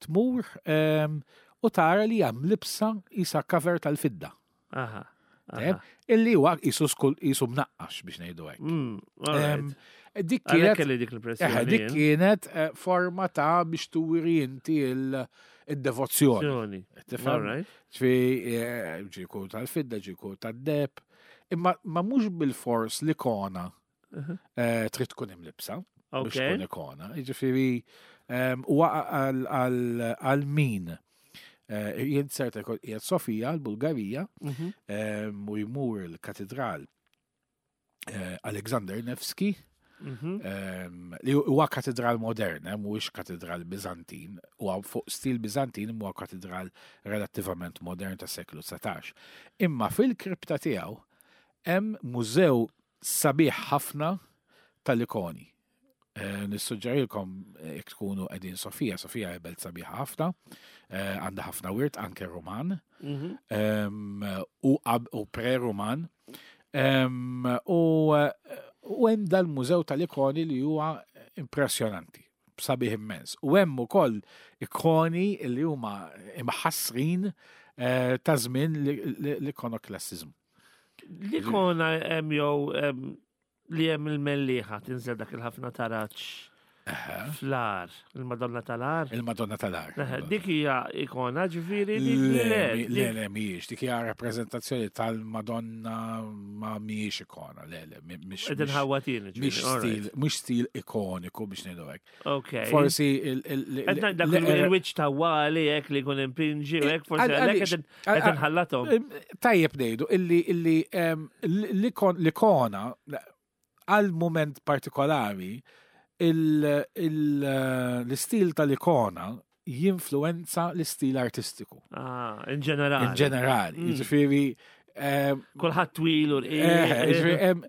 tmur em, u tara li hemm libsa isa cover tal-fidda. Aha. Tajjeb? aha. Illi huwa isu skul isu mnaqqax biex ngħidu hekk. Mm, all Em, right. Dik Għalhekk kienet kelli dik eh, l-impressjoni. dik jien. kienet eh, forma ta' biex turi inti il- id-devozzjoni. Azzjoni. Tifhem? All right. Ġifieri, eh, ġiku tal-fidda, ġiku tad-deb. Imma ma mhux bil-fors l-ikona Uh-huh. eh, trid tkun imlibsa biex Ok. tkun ikona. Jiġifieri em, huwa għal- għal għal min eh, jien certa qiegħed Sofija, l-Bulgarija, Mhm. em, u jmur il-katedral eh, Alexander Nevsky, Mhm. em, li huwa katedral modern, eh, mhuwiex katedral Bizantin, huwa fuq stil Bizantin huwa katedral relattivament modern ta' seklu dsatax. Imma fil-kripta tiegħu hemm mużew sabiħ ħafna tal-ikoni. Eh, Nissuġġerilkom eh, jekk tkunu qegħdin Sofija, Sofija hija belt sabiħa ħafna, eh, għandha ħafna wirt anke Roman Mhm. em, u qab- u pre-Roman. Em, U eh, u hemm dal-mużew tal-ikoni li huwa Impressjonanti, sabiħ immens. U hemm ukoll ikoni li huma imħassrin eh, ta' żmien l-ikonoklassiżmu. L-ikona hemm jew em, li hemm il-Mellieħa tinżel dak il-ħafna taraġ fl-Għar, il-Madonna tal-Għar. Il-Madonna tal-Għar. Eħe, dik hija ikona ġifieri dik Le, le, mi- le, dik- le, mhijiex. Dik hija rappreżentazzjoni tal-Madonna ma mhijiex ikona. Le, le, mi- mhix Qed inħawwatin, ġifieri, mhix all right. stil, mhux stil ikoniku biex ngħidu hekk. Ok. Forsi il- il- Qed ngħid dak le- il-wiċċ ta' Wali hekk li jkun impinġi u hekk forsi Għal- għalhekk għaliex? qed qed inħallathom. Em, Tajjeb ngħidu illi illi em, l-ikon- l-ikona għal moment partikolari il- il- l-istil tal-ikona jinfluenza l-istil artistiku. Ah, in ġenerali. In ġenerali. Mm. Jiġifieri em, Kulħadd twil u eh, jiġifieri, rqiq. em,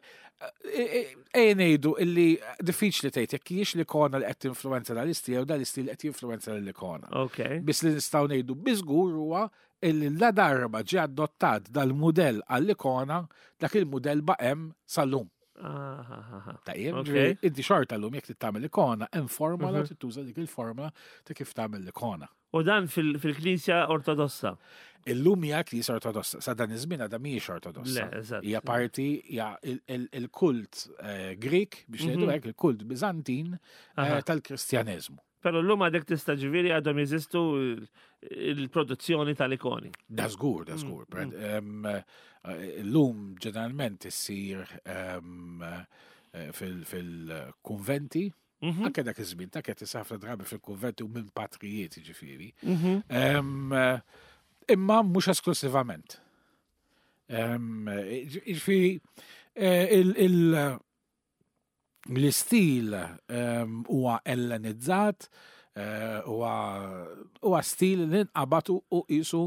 eh, eh, ngħidu illi diffiċli tgħid jekk hijiex l-ikona li qed tinfluenza dal-istil jew dal-istil qed jinfluenza l-ikona. Ok. Biss li nistgħu ngħidu biżgur huwa illi la darba ġie adottat dal-mudell għall-ikona, dak il-mudell baqem sal-lum. Ah, ah, ah, ah. Tajjeb, Ok. ġifieri, inti xorta llum jekk trid tagħmel ikona, hemm formula Mhm. u tituża dik il-formula ta' kif tagħmel l-ikona. U dan fil- fil-Knisja Ortodossa. Illum hija Knisja Ortodossa, sa dan iż-żmien għadha mhijiex Ortodossa. Le, eżatt. Hija parti hija il- il- il-kult eh, Grik biex ngħidu Mhm. hekk, il-kult Biżantin eh, Aha. tal-Kristjaneżmu. Però llum għadek tista' ġifieri għadhom jeżistu il- il-produzzjoni tal-ikoni. Da żgur, da żgur. Mm, Em, eh, Illum ġeneralment issir em, eh, fil- fil-kunventi, Mhm, anke dak iż-żmien ta' qed ħafna drabi fil-kunventi u minn patrijiet ġifieri. mhm. Em, eh, Imma mhux esklusivament. Em, eh, Ġifieri eh, il- il- l-istil em, huwa ellenizzat, eh, huwa huwa stil li nqabad u u qisu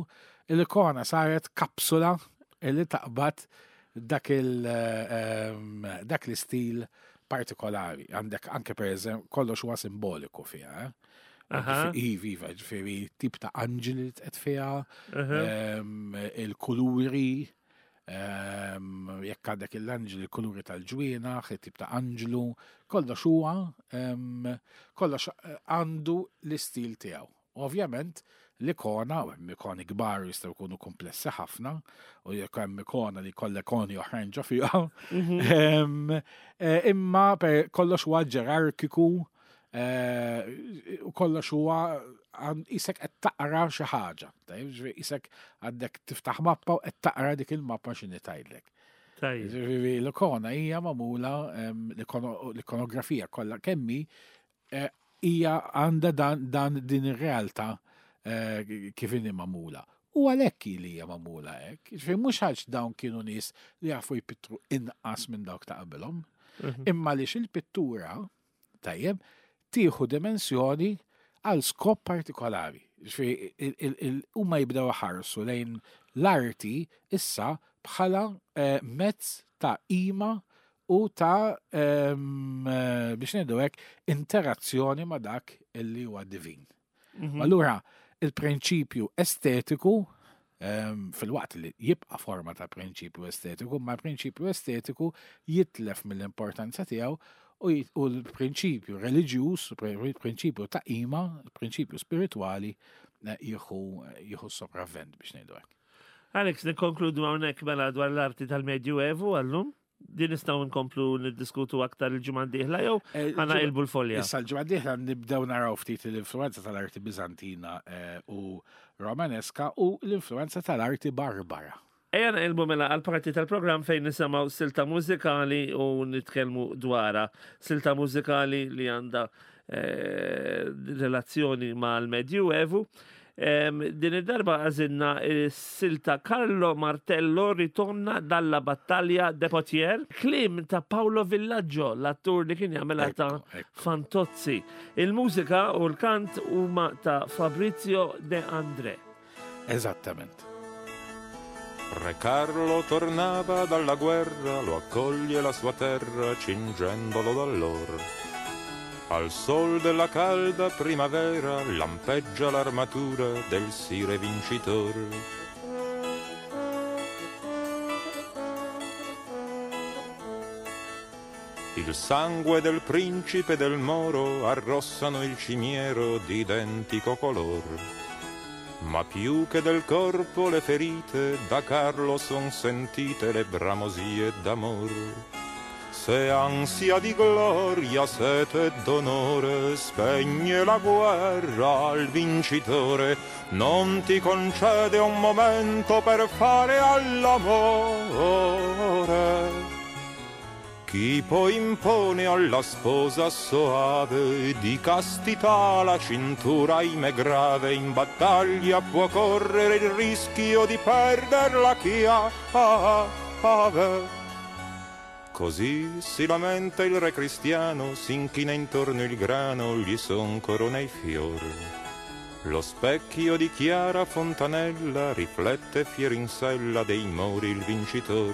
l-ikona saret kapsula li taqbad dak il em, dak l-istil partikolari. Għandek anke per eżempju kollox huwa simboliku fiha. Eh? Aha. Iva, iva, ġifieri tip ta' anġeli li tqed fiha, Aha. em, il-kuluri, em, jekk għandek l-anġeli, il-kuluri tal-ġwienaħ, il-tip ta' anġlu, kollox huwa, em, kollox eh, għandu l-istil tiegħu. Ovvjament, l-ikona, u hemm ikoni kbar jistgħu jkunu komplessi ħafna, u jekk hemm ikona li kollha ikoni oħrajn ġo fiha, Mhm. Em, eh, Imma per kollox huwa ġerarkiku eh, u kollox huwa għan- isek qed taqra xi ħaġa. Tajjeb, ġifieri isek għandek tiftaħ mappa u qed taqra dik il-mappa x'inhi tgħidlek. Tajjeb. Ġifieri l-ikona hija magħmula em, l-ikono- l-ikonografija kollha kemmi eh, hija għandha dan, dan din ir-realtà eh, kif inhi magħmula. U għalhekk li hija magħmula hekk. Ġifieri mhux għax dawn kienu nies li jafu jpittru inqas minn dawk ta' qabilhom, Mhm. imma għaliex il-pittura tajjeb tieħu dimensjoni għal skop partikolari. Ġifieri il- il- il- huma jibdew ħarsu lejn l-arti issa bħala eh, mezz ta' ima u ta' em, eh, biex ngħidu hekk interazzjoni ma' dak illi huwa divin. Mhm. Allura, il-prinċipju estetiku, em, fil-waqt li jibqa' forma ta' prinċipju estetiku, ma' prinċipju estetiku jitlef mill-importanza tiegħu u jit- u l-prinċipju reliġjuż, il-prinċipju ta' ima, il-prinċipju spiritwali eh, jieħu jieħu sopravvent biex ngħidu hekk. Alex, nikkonkludu hawnhekk mela dwar l-arti tal-Medjuevu għallum. Din nistgħu nkomplu niddiskutu aktar il-ġimgħa d-dieħla jew Eh, ħana ilbu l-folja. Issa l-ġimgħa d-dieħla nibdew naraw ftit l-influenza tal-arti Biżantina eh, u Romaneska u l-influenza tal-arti Barbara. Ejja naqilbu mela għal parti tal-programm fejn nisimgħu silta mużikali u nitkellmu dwarha. Silta mużikali li għandha eh, relazzjoni mal-Medjuevu. Em, Din id-darba għażilna silta Carlo Martello ritorna dalla battaglia de Potier, klim ta' Paolo Villaggio, l-attur li kien jagħmilha ta' Ekku, ekku. Fantozzi. Il-mużika u l-kant huma ta' Fabrizio De André. Eżattament. Re Carlo tornava dalla guerra, lo accoglie la sua terra cingendolo d'allor. Al sol della calda primavera lampeggia l'armatura del sire vincitor. Il sangue del principe del moro arrossano il cimiero d'identico color. Ma più che del corpo le ferite, da Carlo son sentite le bramosie d'amor. Se ansia di gloria, sete d'onore spegne la guerra al vincitore, non ti concede un momento per fare all'amore. Chi poi impone alla sposa soave di castità la cintura ahimè grave, in battaglia può correre il rischio di perder la chiave. Così si lamenta il re cristiano, s'inchina intorno il grano, gli son corona i fior. Lo specchio di chiara fontanella riflette fier in sella dei mori il vincitor.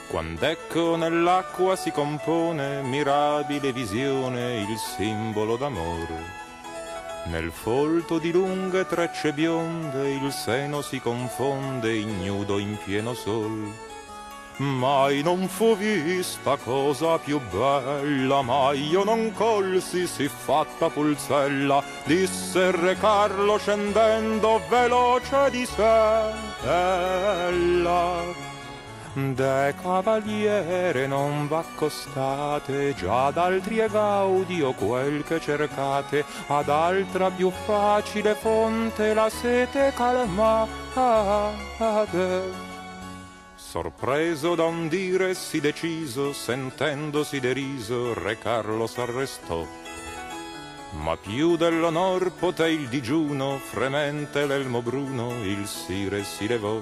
Quand'ecco nell'acqua si compone mirabile visione, il simbolo d'amor. Nel folto di lunghe trecce bionde il seno si confonde ignudo in pieno sol. Mai non fu vista cosa più bella, mai io non colsi siffatta pulzella, disse re Carlo scendendo veloce di sella. De cavaliere non v'accostate, già ad altri è gaudio quel che cercate, ad altra più facile fonte la sete calmate. Sorpreso da un dire sì deciso, sentendosi deriso, re Carlo s'arrestò. Ma più dell'onor poté il digiuno, fremente l'elmo bruno, il sire si levò.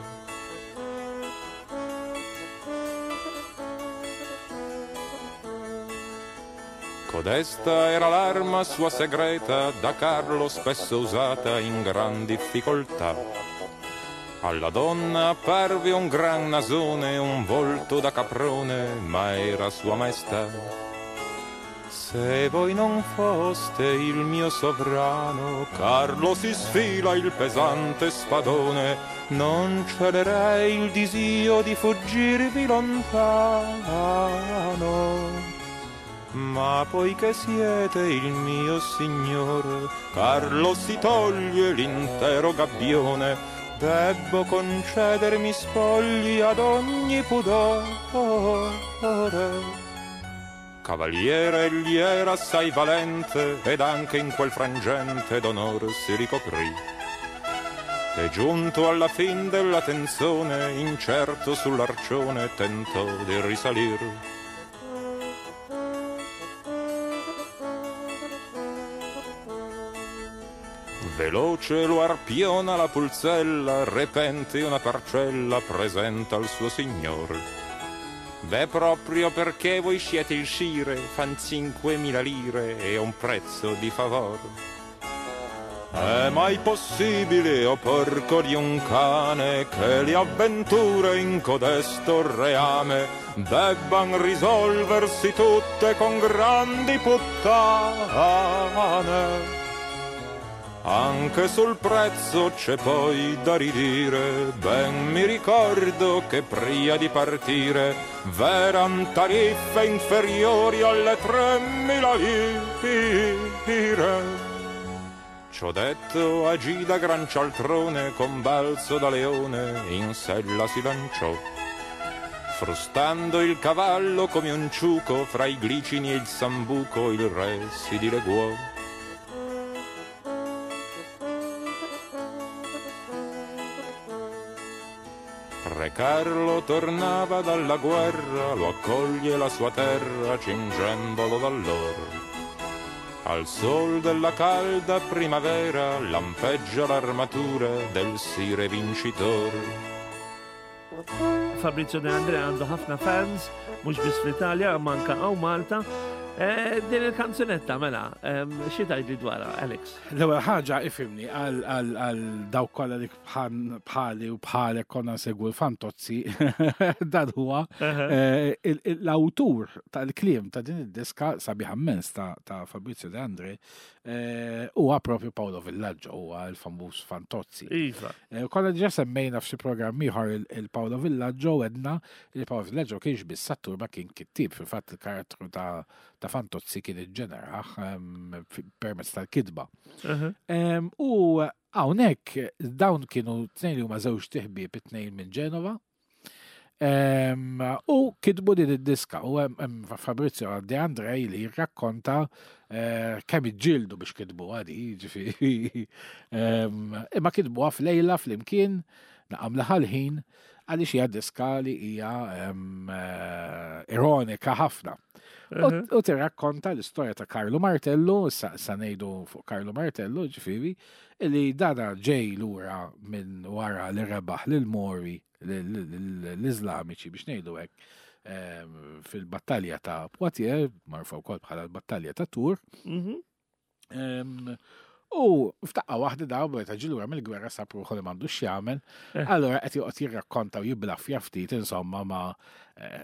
Codesta era l'arma sua segreta, da Carlo spesso usata in gran difficoltà. Alla donna apparve un gran nasone, un volto da caprone, ma era sua maestà. Se voi non foste il mio sovrano, Carlo si sfila il pesante spadone, non celerei il disio di fuggirvi lontano. Ma poiché siete il mio signore, Carlo si toglie l'intero gabbione, debbo concedermi spogli ad ogni pudore. Cavaliere egli era assai valente, ed anche in quel frangente d'onor si ricoprì. E giunto alla fin della tenzone, incerto sull'arcione tentò di risalir. Veloce lo arpiona la pulzella, repente una parcella presenta al suo signor. Beh, proprio perché voi siete il scire, fan cinquemila lire e un prezzo di favor. È mai possibile, o porco di un cane, che le avventure in codesto reame debban risolversi tutte con grandi puttane? Anche sul prezzo c'è poi da ridire, ben mi ricordo che pria di partire v'eran tariffe inferiori alle tremila lire. Ciò detto agì da gran cialtrone, con balzo da leone in sella si lanciò, frustando il cavallo come un ciuco, fra i glicini e il sambuco il re si dileguò. Re Carlo tornava dalla guerra, lo accoglie la sua terra cingendolo d'allor. Al sol della calda primavera lampeggia l'armatura del sire vincitor. Fabrizio De Andrea għandu ħafna fans, mhux biss fl-Italja, ma anke hawn Malta. Eh, Din il-kanzunetta, mela, em, xi tgħidli dwarha, Alex? L-ewwel ħaġa, ifhimni, għal għal għal dawk kollha li bħan- bħali u bħalek konna nsegwu l-Fantozzi, dan huwa eh, il- il- l-awtur tal-kliem ta' din id-diska sabiħa immens ta' ta' Fabrizio De Andre eh, huwa propju Paolo Villaggio, huwa l-famuż Fantozzi. Iva. Eh, Konna diġà semmejna f'xi programm ieħor il- il-Paolo Villaggio, għedna li Paolo Villaggio kienx biss attur ma kien kittib. Fil-fatt il-karattru ta' ta' Fantozzi kien iġġeneraħ ehm, fi- permezz tal-kitba. Uh-huh. Em, U hawnhekk dawn kienu tnejn li huma żewġt iħbieb, it-tnejn minn Ġenova. Em, U kitbu din id-diska u hemm hemm Fabrizio De Andrei li jirrakkonta eh, kemm iġġieldu biex kitbu għadi, ġifieri. Em, Imma kitbuha f'lejla flimkien naqam ħin, għaliex hija diska li hija em, eh, ironika ħafna. U Uh-huh. u tirrakkonta l-istorja ta' Carlo Martello, sa sa ngħidu fuq Carlo Martello, ġifieri, li dana ġej lura minn wara li rebaħ lil Mori, l-Iżlamiċi biex ngħidu hekk, em, fil-battalja ta' Poitiers, magħrufa wkoll bħala l-battalja ta' Tours. Mhm. Em, U f'daqqa waħda daw meta ġie lura mill-gwerra sab ruħu li m'għandux x'jagħmel. Eh. Allora qed joqgħod jirrakkonta u jiblaffja ftit insomma ma eh,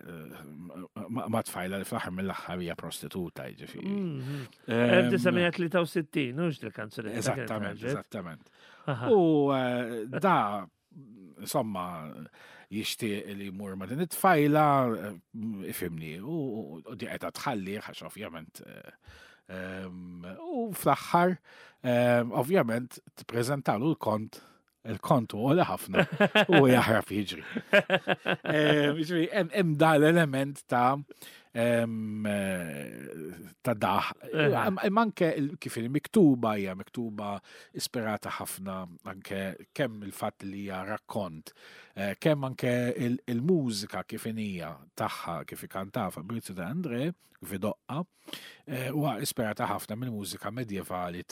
ma ma tfajla li fl-aħħar mill-aħħar hija prostituta, jiġifieri. Mhm. Em, elf disa' mija tlieta u sittin, hux il-kanzunetta kienet Eżattament, ħarġet? eżattament. Aha. U eh, da, insomma, jixtieq li jmur ma' din it-tfajla, eh, ifhimni, u u di qed tħalli, għax ovvjament. eh, em, U fl-aħħar, em, ovvjament, tippreżentalu l-kont, il-kont u għoli ħafna, u jaħrab jiġri. Em, Jiġri, hemm hemm da l-element ta' em, eh, ta' daħ. Eh. Imma anke il- kif il-miktuba hija miktuba ispirata ħafna anke kemm il-fatt li hija rakkont, eh, kemm anke il- il-mużika kif inhija tagħha, kif ikanta Fabrizio De André, kif idoqqa, eh, huwa ispirata ħafna mill-mużika medjevali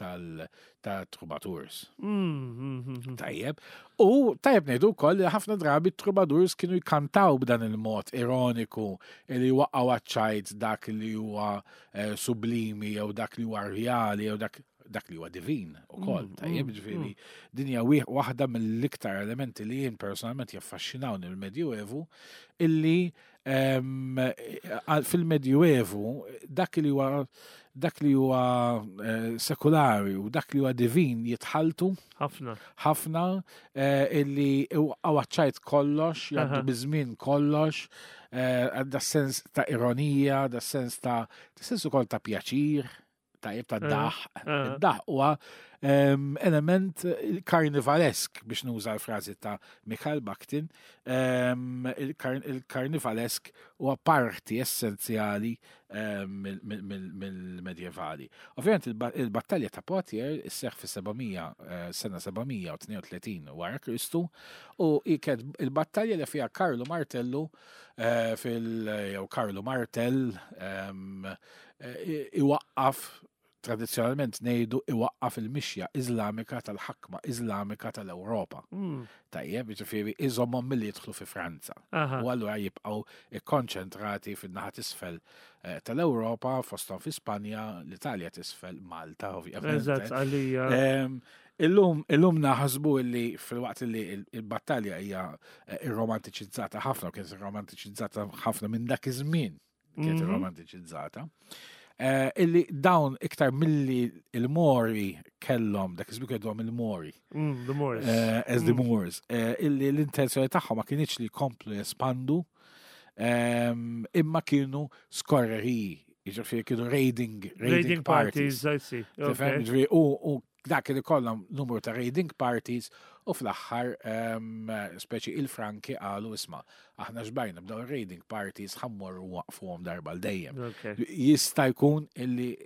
tal-troubadours. Mhm, mhm. Tajjeb. U tajjeb ngħidu wkoll li ħafna drabi troubadours kienu jkantaw b'dan il-mod ironiku li waqgħu għaċ-ċajt dak li huwa eh, sublimi jew dak li huwa reali jew dak dak li huwa divin ukoll. Mm, Tajjeb, mm, ġifieri din hija wieħ- waħda mill-iktar elementi li jien personalment jaffaxxinawni mill-Medjuevu, illi em, għal- fil-Medjuevu dak li huwa dak li huwa eh, sekulari u dak li huwa divin jitħaltu Ħafna. ħafna, eh, illi għaċ-ċajt kollox, jgħaddu Aha. biż-żmien kollox, eh, għadda sens ta' ironija, da sens ta' da sens ukoll ta' pjaċir, tajjeb, ta' Eh, daħ. eh. Daħ huwa em, element karnivalesk, biex nuża l-frażi ta' Mikhail Bakhtin, em, il-kar- il-karnivalesk huwa parti essenzjali em, mill- mill- mill- mill-medjevali. Ovvjament il-ba- il-battalja ta' Poitiers isseħ fi sebgħamija, eh, sena sebgħamija u tnejn u tletin wara Kristu u hi kienet il-battalja li fiha Carlo Martello eh, fil jew Carlo Martel em, eh, iwaqqaf, tradizzjonalment ngħidu iwaqqaf, il-mixja Iżlamika tal-ħakma Iżlamika tal-Ewropa. Mm. Tajjeb, jiġifieri iżommhom milli jidħlu fi Franza. Aha. U allura jibqgħu ikkonċentrati fin-naħa t'isfel eh, tal-Ewropa, fosthom fi Spanja, l-Italja t'isfel, Malta, ovvjament. Eżatt, għalija. Em, Illum, illum naħsbu illi fil-waqt li il- il-battalja hija eh, irromantiċizzata ħafna, u kienet irromantiċizzata ħafna minn dak iż-żmien, kienet Mhm. irromantiċizzata. Eh, illi dawn iktar milli il-Mori kellhom, dak iż-żmien kellhom il-Mori, Mm, the Moors. eh, as the Mm. Moors, eh, illi l-intenzjoni tagħhom ma kienx li jkomplu jespandu, em, imma kienu skorreriji, jiġifieri kienu raiding, raiding, Raiding parties. parties, I see. Tifhem, Okay. ġifieri, u u dak li kollhom numru ta' raiding parties u fl-aħħar em, speċi il-Franki qalu, "Isma', aħna xbajna b'daw raiding parties, ħa mmorru nwaqqfuhom darba l dejjem." Okay. Jista' jkun illi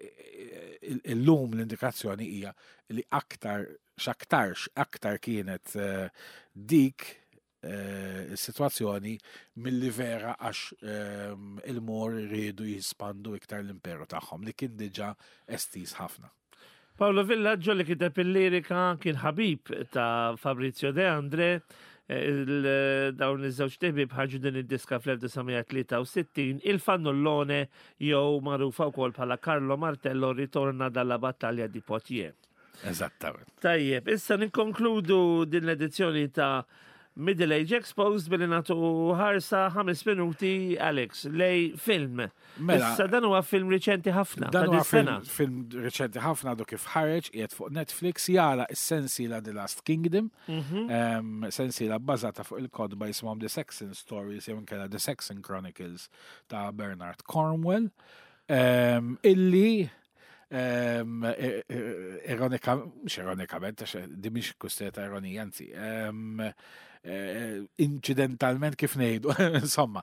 il- illum l-indikazzjoni hija li aktar x'aktarx aktar kienet eh, dik eh, is-sitwazzjoni milli vera għax ehm, il-Mor riedu jispandu iktar l-imperu tagħhom li kien diġà estiż ħafna. Paolo Villaggio li kiteb il-lirika kien ħabib ta' Fabrizio De Andre. Il- Dawn iż-żewġ ħbieb ħarġu din id-diska fl-elf disa' mija tlieta u sittin, Il Fannullone, jew magħrufa wkoll bħala Carlo Martello ritorna dalla battaglia di Poitiers. Eżattament. Tajjeb, issa ninkonkludu din l-edizzjoni ta' Middle Age Exposed billi nagħtu ħarsa ħames minuti, Alex, lejn film. Mela, Issa dan huwa film riċenti ħafna, ta' Dan huwa dis-sena. film, film reċenti ħafna, għadu kif ħareġ, qiegħed fuq Netflix, jara is-sensiela The Last Kingdom, Mhm. um, sensiela bbażata fuq il-kotba jisimhom The Saxon Stories jew inkella The Saxon Chronicles ta' Bernard Cornwell, um, illi um, ironika, mhux ironikament, għax di mhix kwistjoni ta' ironija, anzi, um, eh, incidentalment kif ngħidu, insomma,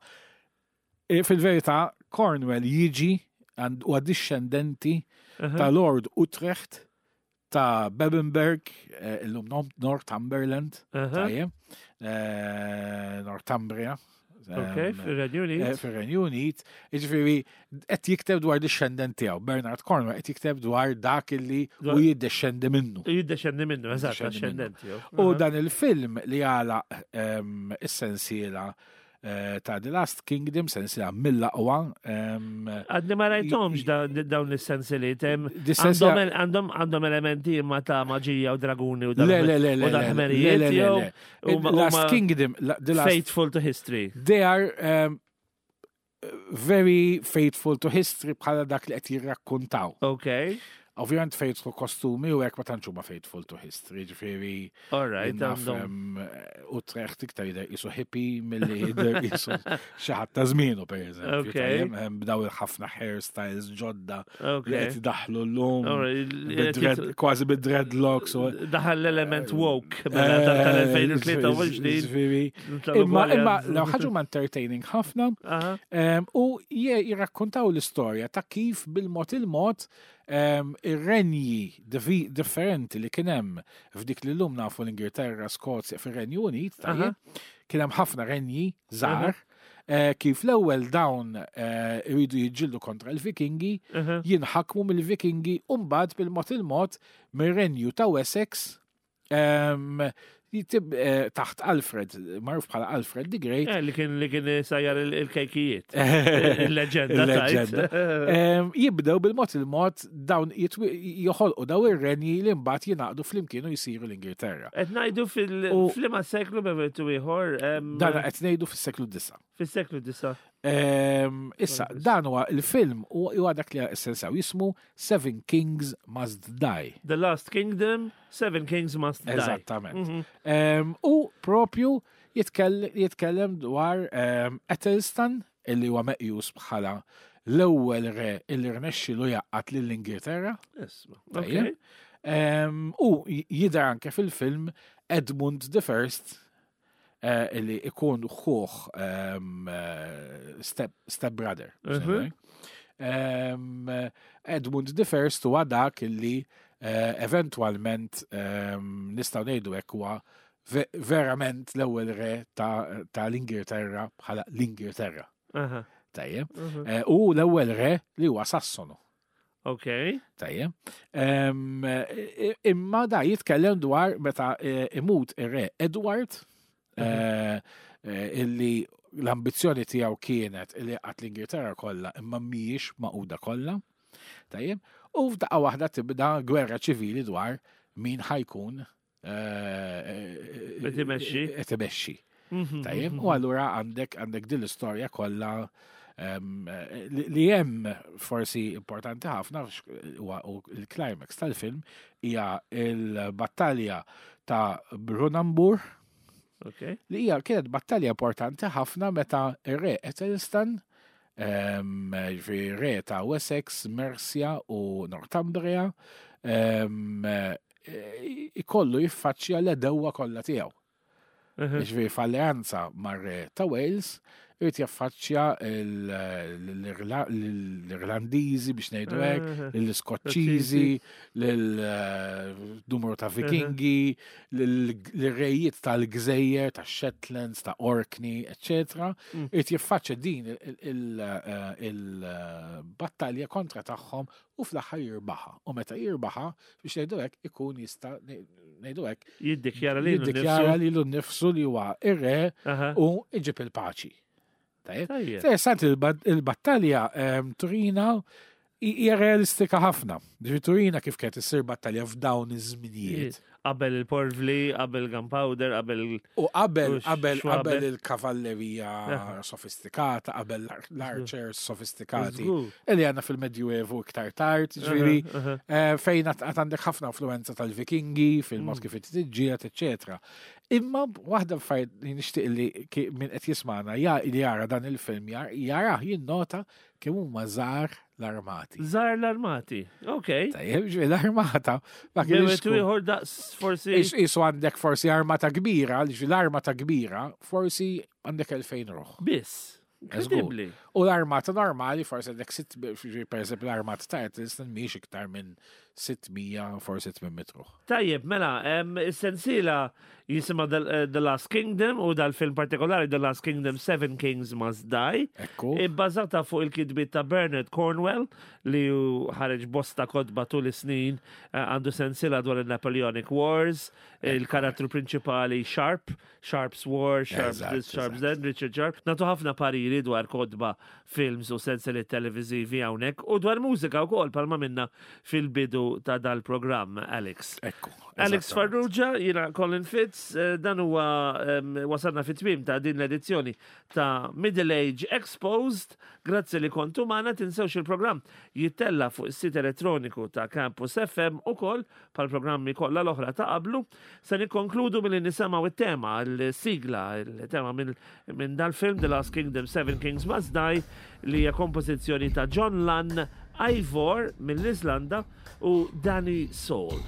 eh, fil-verità Cornwell jiġi għand- huwa discendenti Aha. ta' Lord Utrecht ta' Bebbanburg, eh, illum Nom- Northumberland, Aha. tajjeb, eh, Northumbria. Ok, em, fir-Renju eh, Unit. Fir-Renju Unit, jiġifieri qed jikteb dwar discendent tiegħu, Bernard Cornwell qed jikteb dwar dak illi u Dwar- jiddescendi minnu. Jiddexxendi minnu, eżatt, Jiddexxendi minnu. ascendenti. jew. U Aha. dan il-film li għala um, is-sensiela eh, ta' The Last Kingdom, sensiela mill-aqwa. em, Għadni ma rajthomx da- dawn is-sensiliet. hemm- Dis-sensiela- Għandhom għandhom għandhom elementi imma ta' maġija u draguni u Le, le, le, le, u le, dal-ħmerijiet le, le, jew le. huma- Last huma Kingdom, la- The Last faithful to history. They are um, very faithful to history bħala dak li qed jirrakkontaw. Ok, Ovvjament faithful kostumi u hekk ma tantx huma faithful to history, ġifieri all right. naf Għandhom. um, Utrecht iktar jidher qisu hippie milli jidher qisu xi ħadd ta' żmienu, pereżempju. Ok. Tajjeb, hemm bdaw ħafna hairstyles ġodda Ok. li qed idaħħlu llum All right, bid-dread- kważi bid-dreadlocks u Daħal l-element woke mela tal-elfejn u tlieta u għoxrin. Ġifieri, Imma imma law ħaġa huma entertaining ħafna. Aha. Em, U je- jirrakkontaw l-istorja ta' kif bil-mod il-mod em, ir-renji divi- differenti li kien hemm f'dik li llum nafu l-Ingilterra, Skozja, fir-Renju Unit, tajjeb, kien hemm ħafna renji żgħar, eh, kif l-ewwel dawn eh, iridu jiġġieldu kontra l-Vikingi, Aha. jinħakmu mill-Vikingi u mbagħad bil-mod il-mod mir-renju ta' Wessex em, jitib eh, taħt Alfred, magħruf bħala Alfred the Great. Eh, Li kien li kien sajjar il- il-kejkijiet. Il-leġenda. Il-leġenda. tajt. Em, Jibdew bil-mod il-mod dawn jitwi- joħolqu daw ir-renji li mbagħad jingħaqdu flimkien u jsiru l-Ingilterra. Qed ngħidu U- fil-flima seklu b'eventu ieħor em, Dan qed ngħidu fis-seklu disa. Fis-seklu disa. Em, Issa, dan huwa il-film u huwa dak li essenzaw jismu Seven Kings Must Die. The Last Kingdom, Seven Kings Must Die. Eżattament. Mhm. Em, U propju jitkell- jitkellem dwar em, Ethelstan, illi huwa meqjus bħala l-ewwel re illi rnexxielu jgħaqqad lill-Ingilterra. Isma. Tajjeb. Ok. Em, U jidher anke fil-film Edmund the First, eh, illi ikun ħuħ em, eh, step, step brother. Mhm. Em, Edmund the First huwa dak illi eh, eventualment em, nistgħu ngħidu hekk huwa ve- verament l-ewwel re ta' ta' l-Ingilterra bħala l-Ingilterra. Aha. Tajjeb. Mhm. Eh, U l-ewwel re li huwa Sassonu. Ok. Tajjeb. Em, eh, Imma da jitkellem dwar meta eh, imut ir-re Edward, eh, eh, illi l-ambizzjoni tiegħu kienet illi qatt l-Ingilterra kollha imma mhijiex magħquda kollha. Tajjeb. U f'daqqa waħda tibda gwerra ċivili dwar min ħa jkun eh, Qed imexxi. qed imexxi. Mhm, Tajjeb, mhm. u allura għandek għandek din l-istorja kollha em, li li hemm forsi importanti ħafna x- huwa u il-climax tal-film hija il-battalja ta' Brunanburh, Ok. li hija kienet battalja importanti ħafna meta ir-re Ethelstan, em, ġifieri re ta' Wessex, Mercia u Northumbria, em, eh, ikollu jiffaċċja l-għedewwa kollha tiegħu. Mhm. Ġifieri f'alleanza mar-re ta' Wales, Irid jaffaċċja l- l-Irlandiżi biex ngħidu hekk, Mhm. l-Iskoċċiżi, l-numru ta' Vikingi, l-rejiet tal-Gżejjer, ta' Shetlands, ta' Orkney, eccetera. Mm. Irid jiffaċċja din il- il- eh, il-battalja kontra tagħhom u fl-aħħar jirbaħa. U meta jirbaħa, biex ngħidu hekk, ikun jista' ngħidu hekk, Jiddikjara li jiddikjara lilu nnifsu li huwa ir-re u iġib il-paċi. Tajjeb? Tajjeb. Interessanti, il-bat- il-battalja em, turina hi- hija realistika ħafna. Ġifieri turina kif kienet issir battalja f'dawn iż-żminijiet. Qabel il-porvli, qabel gunpowder, qabel. U qabel U qabel xwabel. qabel il-kavallerija Aha. sofistikata, qabel l-archers sofistikati. Żgur. Illi għandna fil-Medjuevu iktar tard, ġifieri Aha, aha. eh, fejn għat għat għandek ħafna influenza tal-Vikingi, fil-mod Mm. kif tiġġieled, eccetera. Imma waħda affarijiet li nixtieq li ki- min qed jismana ja li jara dan il-film jar- jarah jinnota kemm huma żgħar l-armati. Żgħar l-armati. Ok. Tajjeb, ġifieri l-armata ma kienx Bejn wieħed ieħor daqs forsi. Is- Isu għandek forsi armata kbira, ġifieri l-armata kbira, forsi għandek elfejn ruħ. Biss. Inkredibbli. U l-armata normali, forsi għandek sitt, ġifieri, per eżempju l-armata ta' Eccleston mhijiex iktar minn sitt mija, forsi tmien mitt ruħ. Tajjeb, mela, em, is-sensiela jisimha The, eh, The Last Kingdom u dal-film partikolari The Last Kingdom: Seven Kings Must Die. Ekku. Ibbażata fuq il-kitbiet ta' Bernard Cornwell li hu ħareġ bosta kotba tul is-snin, eh, għandu sensiela dwar il-Napoleonic Wars, il-karattru prinċipali Sharp, Sharp's War, Sharp's Eżatt, this, Sharp's eżatt. that, Richard Sharp. Nagħtu ħafna pariri dwar kotba, films u sensiliet televizivi hawnhekk u dwar mużika wkoll palma minna fil-bidu ta' dal-programm, Alex. Ekku. Alex Eżattament. Farrugia, jiena Colin Fitz, eh, dan huwa em, wasalna fit-tmiem ta' din l-edizzjoni ta' Middle Age Exposed. Grazzi li kontu magħna. Tinsewx, il-programm jittella fuq is-sit elettroniku ta' Campus F M ukoll pal programmi kollha l-oħra ta' qablu. Se nikkonkludu milli nisimgħu it-tema, il-sigla, il-tema minn min dal-film The Last Kingdom: Seven Kings Must Die li hija kompożizzjoni ta' John Lunn, Ivor mill-Iżlanda u Danny Saul.